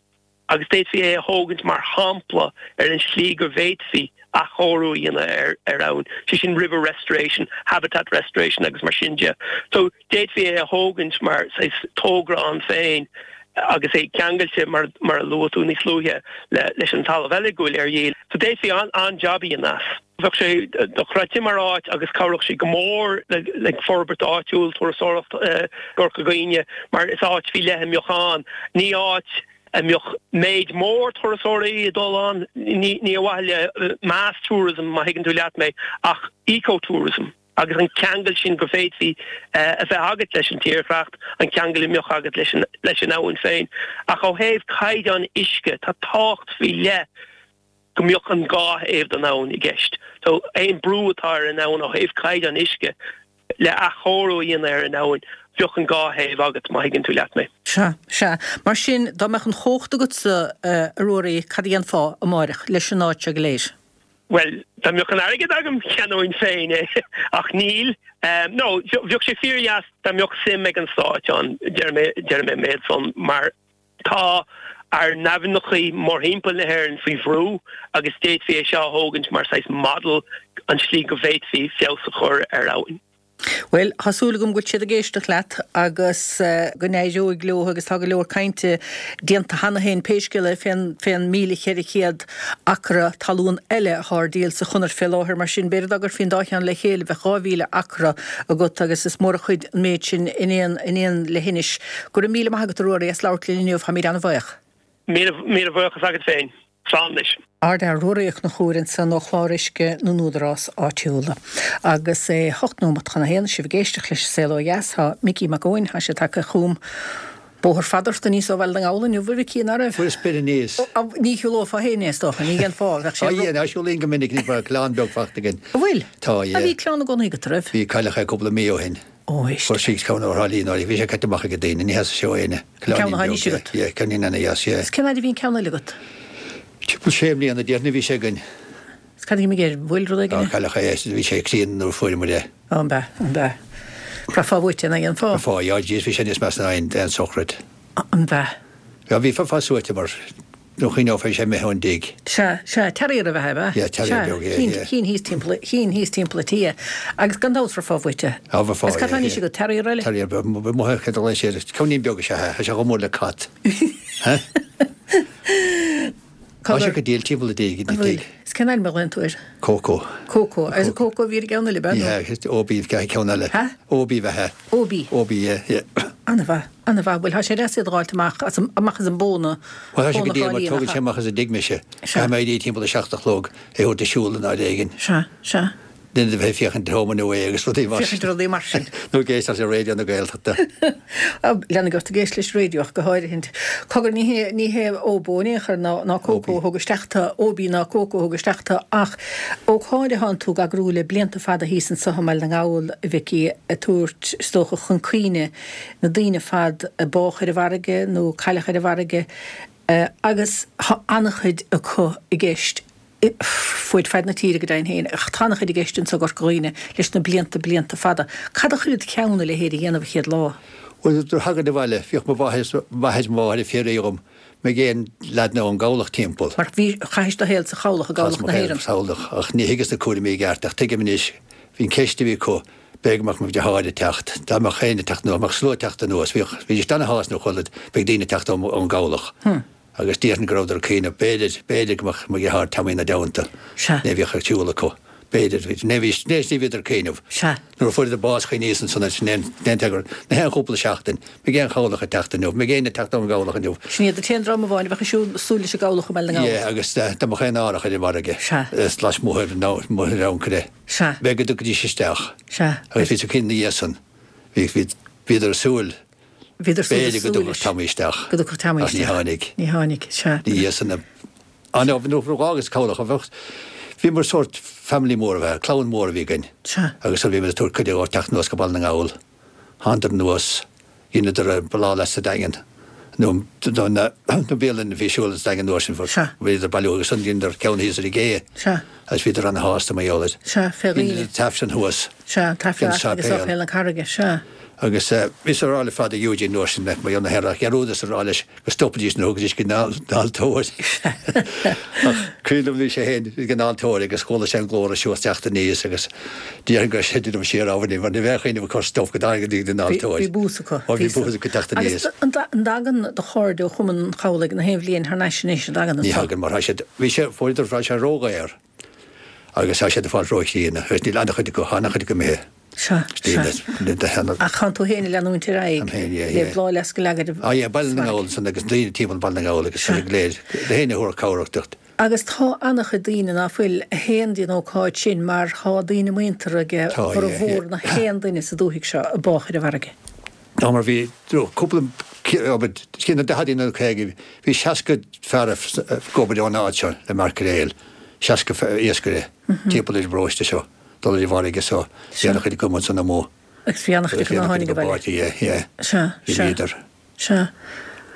agus d'fhéadfaí é a thógaint mar shampla ar an slí go bhféadfaí athchóiriú a dhéanamh ar ar abhainn, sé sin river restoration, habitat restoration agus mar sin de. So d'fhéadfaí é a thógaint mar saghas togra ann féin agus é ceangailte, mar mar a luaigh tú níos luaithe, le leis an talamh eile go bhfuil ar dhíol. So d'fhéadfaí an-jab a dhéanamh as. Bheadh sé dochreidte mar áit agus chabhródh sé go mór le le forbairt áitiúil, turasóireacht i gCorca Dhuibhne mar is áit faoi leith a mbeadh ann. Ní áit a mbeadh méid mór turasóirí ag dul ann, ní ní ar mhaithe le mass tourism má thuigeann tú leat mé, ach eco-tourism. Agus an ceangal sin go bhféadfaí a bheith agat leis an tírdhreacht, an ceangal a mbeadh agat leis an leis an abhainn féin. Ach ó thaobh caighdeán uisce, tá tábhacht faoi leith go mbeadh an dhá thaobh den abhainn i gceist. So aon brú atá ar an abhainn ó thaobh caighdeán uisce, le athchóiriú a dhéanamh ar an abhainn, bheadh an dhá thaobh agat, má thuigeann tú leat mé. Sea, sea. Mar sin, dá mbeadh an chumhacht agatsa, a Ruairí, cad a dhéanfá amáireach leis an áit seo go léir? Bhuel, dá mbeadh an airgead agam, cheannóinn féin é, ach níl. No, bheadh sé fíordheas dá mbeadh suim ag an Stáit ann, déarfaidh mé, déarfaidh mé an méid san, mar tá ár n-aibhneachaí mórthimpeall na hÉireann faoi bhrú agus d'fhéadfaí é seo a thógaint mar saghas model, an tslí go bhféadfaí feabhas a chur ar abhainn. Bhuel, tá súil agam go bhfuil siad ag éisteacht leat agus go n-éireoidh leo agus tá go leor cainte déanta cheana féin pé scéal é fén fén míle cheithre chéad acra talún eile atá ar díol sa chonair fé láthair. Mar sin, b'fhéidir dá gcuirfí an dá cheann le chéile bheadh dhá mhíle acra agat agus is mór an chuid an méid sin in aon in aon leithinis. Go raibh míle maith agat a Ruairí as labhairt linn inniu, táimid an-bhuíoch. Míle míle buíochas agat féin. Slán anois. Ardfhear Ruairí Ó Conchúir ansan ó Chlár Uisce na nÚdarás Áitiúla. Agus é hocht nóimeat chun a haon, sibh ag éisteacht leis an Saol Ó Dheas, tá Micí Mac Eoin, tá sé tagtha chugam. Bóthar fada ort aníos ó Bhaile na nGall inniu, a Mhicí, ná raibh? Fuaireas sprid aníos. Ní shiúlófá féin é, is dócha, ní dhéanfá, bheadh sé Á, yeah, siúlaím go minic, ní bheadh clann beag fachta againn. An bhfuil? Tá, yeah. A bhí clann i gcónaí agat, an raibh? Bhí, cailleadh é cúpla mí ó shin. Ó, éist. Fuair sí ceann ó Thrá Lí nuair a bhí sé caite amach ag daoine, ní theastaigh sé ó éinne. An ceann atá anois agat? Yeah, ceainnín ana dheas, yeah. Is cén fhad a bhí an ceann eile agat? Timpeall sé mbliana déarfainn a bhí sé againn. Is cad a d'imigh air? An bhfuil rud éigin Á, air? cailleadh é, bhí sé críonna nuair a fuaireamar é. Ó, an b'ea, an b'ea. Bhraithfeá uait é, nach ndéanfá? Bhraithfeá, yeah, jeez, bhí sé níos measa ná aon, aon sochraid. An b'ea? Yeah, bhí bheifeá suaite mar nuair a chuimhneofá bhí sé imithe ón dtigh. Sea, sea, terrier ab ea é, ab ea? Yeah, terrier beag, yeah, yeah. Chinn thíos timpeall, chinn thíos timpeall an tí é. Agus gan dabht bhraithfeá uait é. Á, bhraithfeá, Is cad tá yeah, anois yeah. agat, terrier eile? Terrier beag, mo chéad a ghlaoigh sé air, ceainnín beag is ea é, tá sé chomh mór le cat. Huh? Tá sé go diail timpeall an dtigh, An bhfuil? Is cén ainm a ghlaonn tú air? Coco. Coco. Agus Coco a bhí ar an gceann eile, ab ea? Yeah, Obi a bhí ceann eile. Ha? Obi a bhí. Obi. Obi, yeah, yeah. An-mhaith, an-mhaith. Bhuel, tá sé deas iad a dh'fháilt amach as an, amach as an bpóna. Bhuel, tá sé go Póna diail mar Thrá Lí, tógann nach sé ea? amach as an dtigh mise. Sea. Caithfidh mé éirí timpeall a seacht a chlog, é a thabhairt ag siúl in áit éigin. Sea, sea. Duine de bheith ag féachaint Home and Away agus rudaí mar Féachaint rudaí mar sin. Nó ag éisteacht le Raidió na Gaeltachta. Leanfaidh ort ag éisteacht leis raidió ach go háirithint. Cogar ní hé ní hé Óbó in aon chor ná ná Cócó a thug isteach tú, Óbí ná Cócó a thug isteach tú ach ócáid atánn tú ag eagrú le blianta fada thíos anso i mBaile na nGall, a Mhicí, ag tabhairt, is dócha, chun cuimhne na daoine ar fad a bádh ar an bhfarraige nó cailleadh ar an bhfarraige agus tá an-chuid acu i gceist. Fuaid fad na tíre go deimhin féin, ach tá an-chuid i gceist anso i gCorca Dhuibhne leis na blianta, blianta fada. Cad a chuir id cheann a leithéid a dhéanamh a chéad lá? Bhuel, nuair a thagainn abhaile, bhíodh mo mháthair is mo mháthair ag fiafraí dhom, mbeidh aon leaideanna ón gcabhlach timpeall. Mar bhí, chaithis do shaol sa chabhlach, i gcabhlach Chaitheas mo na shaol hÉireann. sa chabhlach, ach ní thuigeas na cúraimí i gceart, ach tuigim anois, bhí an ceist a bhí acu, b'fhéidir go mbeadh mo dheartháir ag teacht, dá mbeadh éinne ag teacht anuas, mbeadh slua ag teacht anuas, bhíodh, bhídís ana-shásta nuair a chuala beidh daoine ag teacht ón gcabhlach. Agus déarfainn go rabhadar ag cuimhneamh, b'fhéidir, b'fhéidir go mbeadh mo dheartháir Tommy ina dteannta. Sea. Ní bhíodh ag siúl acu. B'fhéidir, bhí, ní bhí, ní ní bhíodar ag cuimhneamh. Sea. Nuair a fuaireadar bás chuimhníos ansan air, sin aon, aon teagar, na haon chúpla seachtain, mbeidh aon chabhlach ag teacht inniu, mbeidh éinne ag teacht ón gcabhlach inniu. Sin iad an t-aon dream amháin a bheadh ag siúl, súil leis an gcabhlach i mBaile na nGall. Yeah, agus dá mbeadh aon árthach ar an bhfarraige. Sea. Is lasmuigh ar, nó, amuigh ar ancaire. Sea. B'fhéidir go dtiocfaidís isteach. Sea. Agus bhí tú cinnte ina dhiaidh san, bhí, bhí, bhíodar ag súil. Bhíodar súil B'fhéidir go dtiocfadh Tommy isteach. Go dtiocfadh Tommy Ach ní isteach. tháinig. Ní tháinig, sea. Ní hé san a... Ah no, nó agus cabhlach a bheadh. Bhíomar sórt family mór a bheith, clann mór a bhí againn. Sea. Agus bhí muid ag tabhairt cuireadh dóibh teacht anuas go Baile na nGall. Thánadar anuas, dheineadar an bláthfhleasc sa Daingean. Nó na bialanna a bhí siúl sa Daingean uair sin. Sea. Bhíodar ag bailiú agus ansan dheineadar ceann thíos ar an gcé. Sea. Agus bhíodar ana-shásta mar gheall air. Sea, fé dhaoine. Dheineadar an taifreann thuas. Sea, an taifreann An agus sáipéal. Sáipéal na Carraige, sea. Agus bhíos ag rá le Father Eugene uair sin mar gheall na hEarrach, dhearúdas a rá leis go stopfaidís nuair a thugaidís go dtí an altóir. Ach cuimhin liom bhí sé féin ag an altóir agus chuala sé an glór ag siúl teacht aníos agus déarfainn go raibh sé ag siar ábhairín mar ní bheadh aoinne ag cur stop go dtarraingidís go dtí an altóir. Bhí bús acu. Ó bhí bús acu teacht aníos. Agus an dtagann do chairde ó Chumann an Chabhlaigh na haon bhliain thar n-ais anois, an dtagann Ní anseo? thagann mar tá siad, bhí sé, fuaireadar, tá sé ródhaor agus tá siad ag fáil róchríonna agus níl an-chuid acu, an-chuid acu imithe. Sea, sea. Ach tánn tú féin ag leanúint ar aghaidh le bláthfhleasc a leagadh Ah yeah, Baile na nGall ansan agus daoine timpeall Baile na nGall agus Sea. go léir, na héinne a thabharfadh cabhrach duit. Agus tá an-chuid daoine ná fuil a théann dtí an ócáid sin mar tá daoine muinteartha aige Tá, yeah, formhór yeah. na haon duine sa dúthaigh seo a bádh ar an bhfarraige. Tá mar bhí cúpla cinn na daicheadaí nó caoga, bhí seasca fear ag obair ón áit seo le maicréil, seasca iascaire timpeall ar an bparóiste seo. Dul ar an bhfarraige so bhí an-chuid acu ansan amuigh. Agus bhí an-chuid acu ná tháinig abhaile. Yeah, yeah. Sea, Bhí sea. bhíodar. Sea.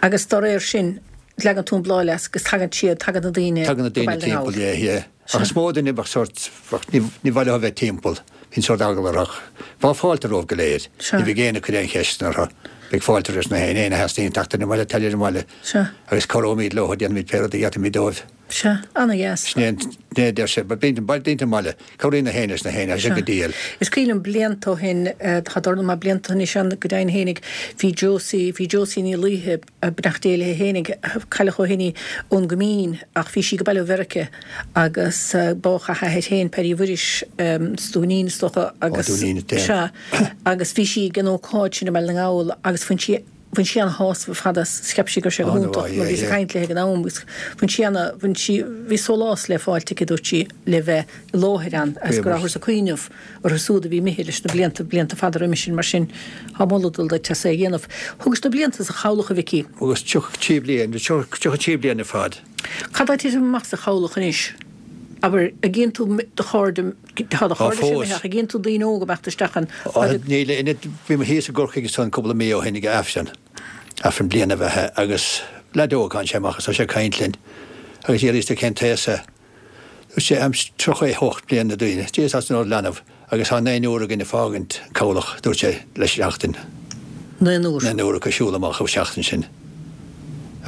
Agus dá réir sin, leagann tú an bláthfhleasc agus tagann siad, tagann na daoine Tagann na go daoine Baile na timpeall, nGall. yeah, yeah. Ach is mó duine bheadh sórt, bheadh, ní, ní mhaith leo a bheith timpeall. Bhíonn sórt eagla orthu. Bheadh fáilte rompu go léir. Sea. Ní bheadh éinne ag cur aon cheisteanna orthu. Bheadh fáilte roimh na héinne, éinne a theastaíonn teacht ar an mbaile, teacht ar an mbaile. Sea. Agus cabhróimid leo, déanfaimid pé rud a d'fhéadfaimid dóibh. Sea, ana-dheas. Sin é an é deir sé, but bíonn daoine i mbaile, cabhraíonn na héinne leis na héinne, tá sé go diail. Is cuimhin liom blianta ó shin, tá dornán maith blianta anois ann go deimhin fhéinig, bhí Josie, bhí Josie Ní Laoithe, beannacht Dé léi fhéinig, cailleadh ó shin í, ón gCoimín, ach bhí sí ag baile ó Mheirice agus bádh a hathair féin, Paddy Mhuiris, sa Dúinín is dócha, agus, sea, agus bhí sí ag an ócáid sin i mBaile na nGall agus bhain sí, Bhain sí ana-shásamh ar fad as, cheap sí go raibh sé go hiontach mar bhíos ag caint léi ag an am agus bhain sí ana, bhain sí, bhí sólás le fáilt aici, dúirt sí, le bheith i láthair ann agus go rabhthas ag cuimhneamh orthu siúd a bhí imithe leis na blianta, blianta fada roimis sin, mar sin tá moladh ag dul duit as é a dhéanamh. Thugais na blianta sa chabhlach, a Mhicí. Thugas tríocha trí bliain, tríocha trí bliain ar fad. Cad tá ag titim amach sa chabhlach anois? Abair, an gcíonn tú do chairde, tá do chairde imithe ach an gcíonn tú daoine óga ag imeacht isteach ann? Níl, bhí mé thíos i gCorcaigh ansan cúpla mí ó shin ag Aifreann, Aifreann bliana a bheith agus leaid óg tháinig sé amach agus tá sé ag caint linn agus d'fhiafraíos de cén t-aos é. Dúirt sé, I'm tríocha a hocht bliana daoine, Dia is an leanbh agus tá naonúr againn ag fágaint an cabhlach, dúirt sé, le seachtain. Naonúr. Naonúr acu ag siúl amach an seachtain sin.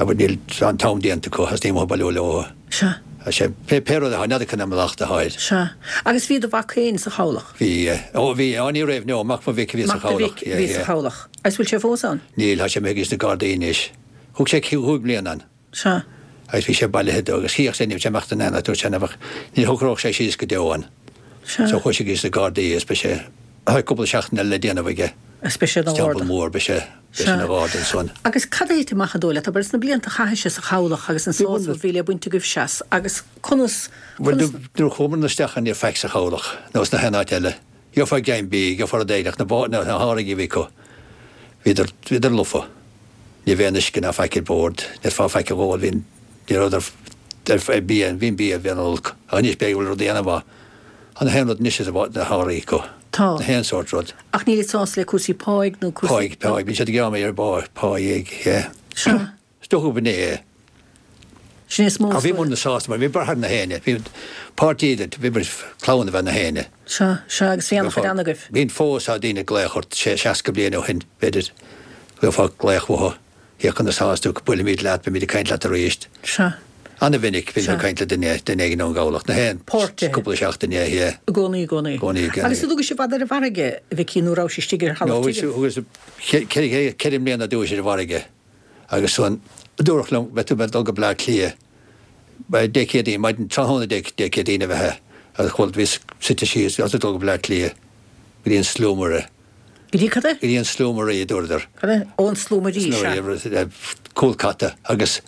Abair, níl an t-am déanta acu agus ní maith bailiú leo. Sea. Sea, pé pé rud atá, n'fheadar cén mallacht atá air. Sea. Agus bhí do mhac féin sa chabhlach? Bhí. Ó, bhí. Ó, ní raibh, no, mac mo mhic a bhí sa Mac do chabhlach. mhic a bhí sa chabhlach. Agus bhfuil sé fós ann? Níl, tá sé imithe chuig na Gardaí anois. Thug sé cúig bliana ann. Sea. Agus bhí sé bailithe dó agus chíodh sé ní raibh sé ag imeacht in aon áit, dúirt sé nach mbeadh, ní shocródh sé síos go deo ann. Sea. So chuaigh sé chuig na Gardaí agus beidh sé, tá cúpla seachtain eile le déanamh aige. Agus beidh sé ina Sa Teampall gharda. Mór, beidh sé, beidh sé ina gharda ansan. Agus cad a thit amach an dóigh leat, abair, sna blianta a chaithis sa chabhlach agus an sásamh a bhí le baint agaibhse as agus conas, Bhuel, conas. nuair a chuamar isteach ann ní raibh faic sa chabhlach nó sna haon áit eile. Gheofá greim bídh, gheofá rud éigin ach na bá, na háirgí a bhí acu, bhíodar, bhíodar lofa. Ní raibh aon uisce ná faic ar bord, ní raibh faic a dh'ól, bhí, ní rabhadar ar bia, bhí an bia, bhí an-olc. Ach anois b'fhéidir go bhfuil rudaí ana-mhaith. Tá na haon rud anois is na háirí acu. Tá. Na haon sórt rud. Ach níl siad sásta le cúrsaí páigh nó cúrsaí. Páigh, páigh. Bíonn siad ag gearán ar bpá, páigh, yeah. Sea. Is dócha gurb in é. Sin é is mó Ach bhí muidne sásta mar bhí braitheadh na héinne. Bhí páirtí idir, bhí muid clann a bheith na héinne. Sea, sea, agus bhí an-chuid ann agaibh. Bíonn fós tá daoine ag glaoch ort, sé seasca bliain ó shin, b'fhéidir, gheofá glaoch uathu. Féach conas atá tú, buailfimid leat, beimid ag caint leat arís. Sea. Ana-mhinic bhínn Sea. ag caint le duine, duine éigin ón gcabhlach, na haon Páirtithe. cúpla seachtain, yeah, yeah. I gcónaí, i gcónaí. I gcónaí, i gcónaí. Agus an dtugais i bhfad ar an bhfarraige, a Mhicí, nó rabhais istigh ar No, thalamh tirim? thugas, thugas ceithre, ceithre mbliana dtús ar an bhfarraige agus ansan dúradh liom, beidh tú ag dul go Bleá Cliath, Dé Céadaoin, maidin tráthnóna Dé, Dé Céadaoin a bheith é agus chuala, bhíos suite síos, agus ag dul go Bleá Cliath, go dtí an Slúmaire. Go dtí cad é? Go dtí an Slúmairí, a dúradar. Cad é? Ó, an Slúmairí, sea. Slúmairí, cúl cata agus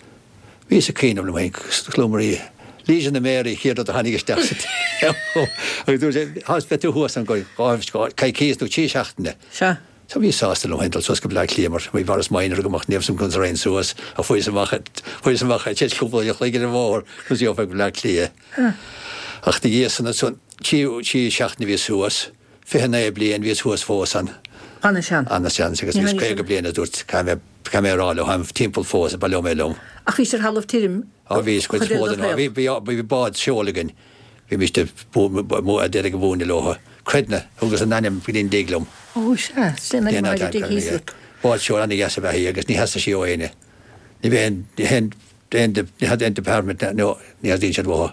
bhíos ag cuimhneamh liom féin, Slúmairí, Legion of Mary, chéad rud a tháinig isteach sa tsaol. Agus dúirt sé, Thá, beidh tú thuas ann go dhá, coicíos nó trí seachtaine. Sea. So bhíos sásta liom féin dul suas go Bleá Cliath mar bhí Morris Minor agam ach ní raibh a fhios agam conas a raghainn suas ach fuaireas amach, fuaireas amach tar éis cúpla uair a chloig ar an bhóthar conas a gheofá go Bleá Cliath. Ach ina dhiaidh san ansan, trí, trí seachtaine bhíos thuas. Fiche naoi bliain bhíos thuas fós ann. Ana-shean. Ana-shean agus bhíos caoga bliain a dúirt caithfidh mé caithfidh mé a rá leo táim timpeall fós baileoidh mé liom. Ach bhís ar thalamh tirim Á bhíos cuid is mó den bhí bhí bhí bád seoil againn. Bhí mise a deireadh ag múineadh leo. Creidne, thugas an ainm go dtí an dtig liom. Ó sea, sin an ainm a dtig thíos agat. Bád seoil ana-dheas ab ea í agus ní theastaigh sí ó éinne. Ní bheadh aon ní haon aon ní had aon department nó ní theastaíonn siad uathu.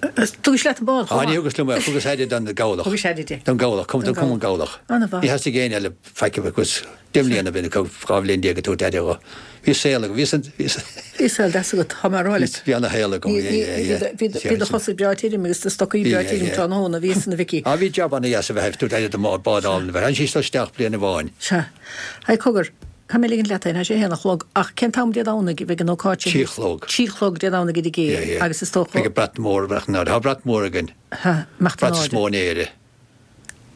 Thugais leat an bád chomh Á, ní maith? thugas liom é, thugas aire don gcabhlach. Thugais aire di. Don gcabhlach, cum, don Cumann Cabhlach. Ana-mhaith. Ní theastaigh éinne eile faic agus deich mbliana bhí acu, dhá bhliain déag ag tabhairt aire dho. Bhí saol agam, bhí san, bhí san. Bhí saol deas agat, tá mé a rá leat. Bhí ana-shaol agam, Ní, yeah, ní, yeah, yeah. bhí do, bhí do chosa breá tirim agus do stocaí Bhí, breá yeah, tirim yeah. tráthnóna, bhí san a Mhicí. Á, bhí jab ana-dheas a bheith ag tabhairt aire don bád álainn a bheith. Tháinig sí isteach bliain amháin. Sea. Hey, cogar, Caithfidh mé ligint leat é, tá sé a haon a chlog, ach cén t-am Dé Domhnaigh a bheidh an ócáid sin? Trí a chlog. Trí a chlog Dé Domhnaigh i dTigh Yeah, yeah. agus is dócha. Beidh brat mór, brat in airde. Tá brat mór againn. Ha, imeacht in Brat is airde. mó in Éire.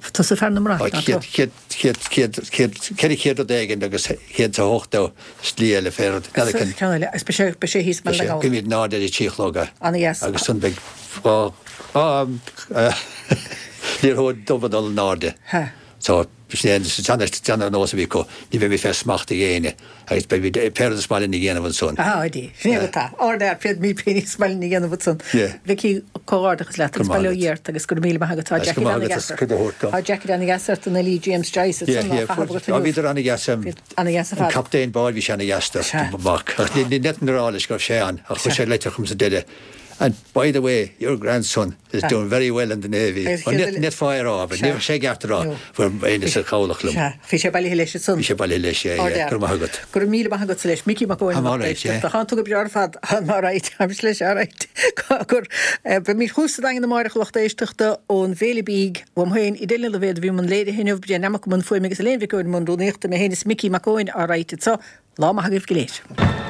Tusa fear na mbrat, Tá ná céad, tú? céad, céad, céad, céad, ceithre chéad rud éigin agus céad is a hochtó slí eile fé rud. N'fheadar cén. Ceann eile, agus beidh sé, beidh sé thíos i mBaile na nGall. Beidh in airde ar a trí a chlog é. Ana-dheas. Agus ansan beidh dhá, dhá, liathróid dubh ag dul in airde. Ha. So, Sin é an sean-nós a bhí acu, ní bheimid fé smacht ag éinne agus beimid pé rud is maith linn a dhéanamh ansan. Aha, oidí. Sin é atá. Ard-fhear, féadfaimid pé ní is maith linn a dhéanamh ansan. Yeah. Mhicí, comhghairdeachas leat agus Go maith bail ó agat. Dhia ort agus go raibh míle maith agat. Tá Agus Jackie go maith ana agat as dheas cuid a thabhairt dom. Tá Jackie ana dheas ort an Lee James Joyce Yeah, ansan á yeah, chaitheamh agat Á inniu. bhíodar ana dheas Bhí ana dheas ar an fad. captaen báid bhí sé ana dheas do Sea. mac. Ach ní ní fhéadfainn a rá leis go raibh sé ann ach chuir sé leitir chugam sa deireadh. And by the way, your grandson is Sea. doing very well in the Navy. Agus Ní chéad- ní fáir á, Sea. ní bheadh sé ceart a rá No. fuair éinne sa chabhlach liom. Sea, bhí sé bailithe leis ansan. Bhí sé bailithe leis, yeah, yeah. Ard-fhear. Go raibh maith agat. Go raibh míle maith agat leis Micí Mac Eoin I'm lucht all right, éisteachta. yeah. Tá tú go breá ar fad I'm all right, I'm leis all right. Gur beimid chugaibh sa Daingean amárach lucht éisteachta ón bhFéile Bídh uaim féin Edel Ní Loibhéad a bhí i mbun léirithe inniu Brian Namach i mbun fuaime agus Elaine Mhic Eoin i mbun rúnaíochta mé féin is Micí Mac Eoin all right so lá maith agaibh go léir.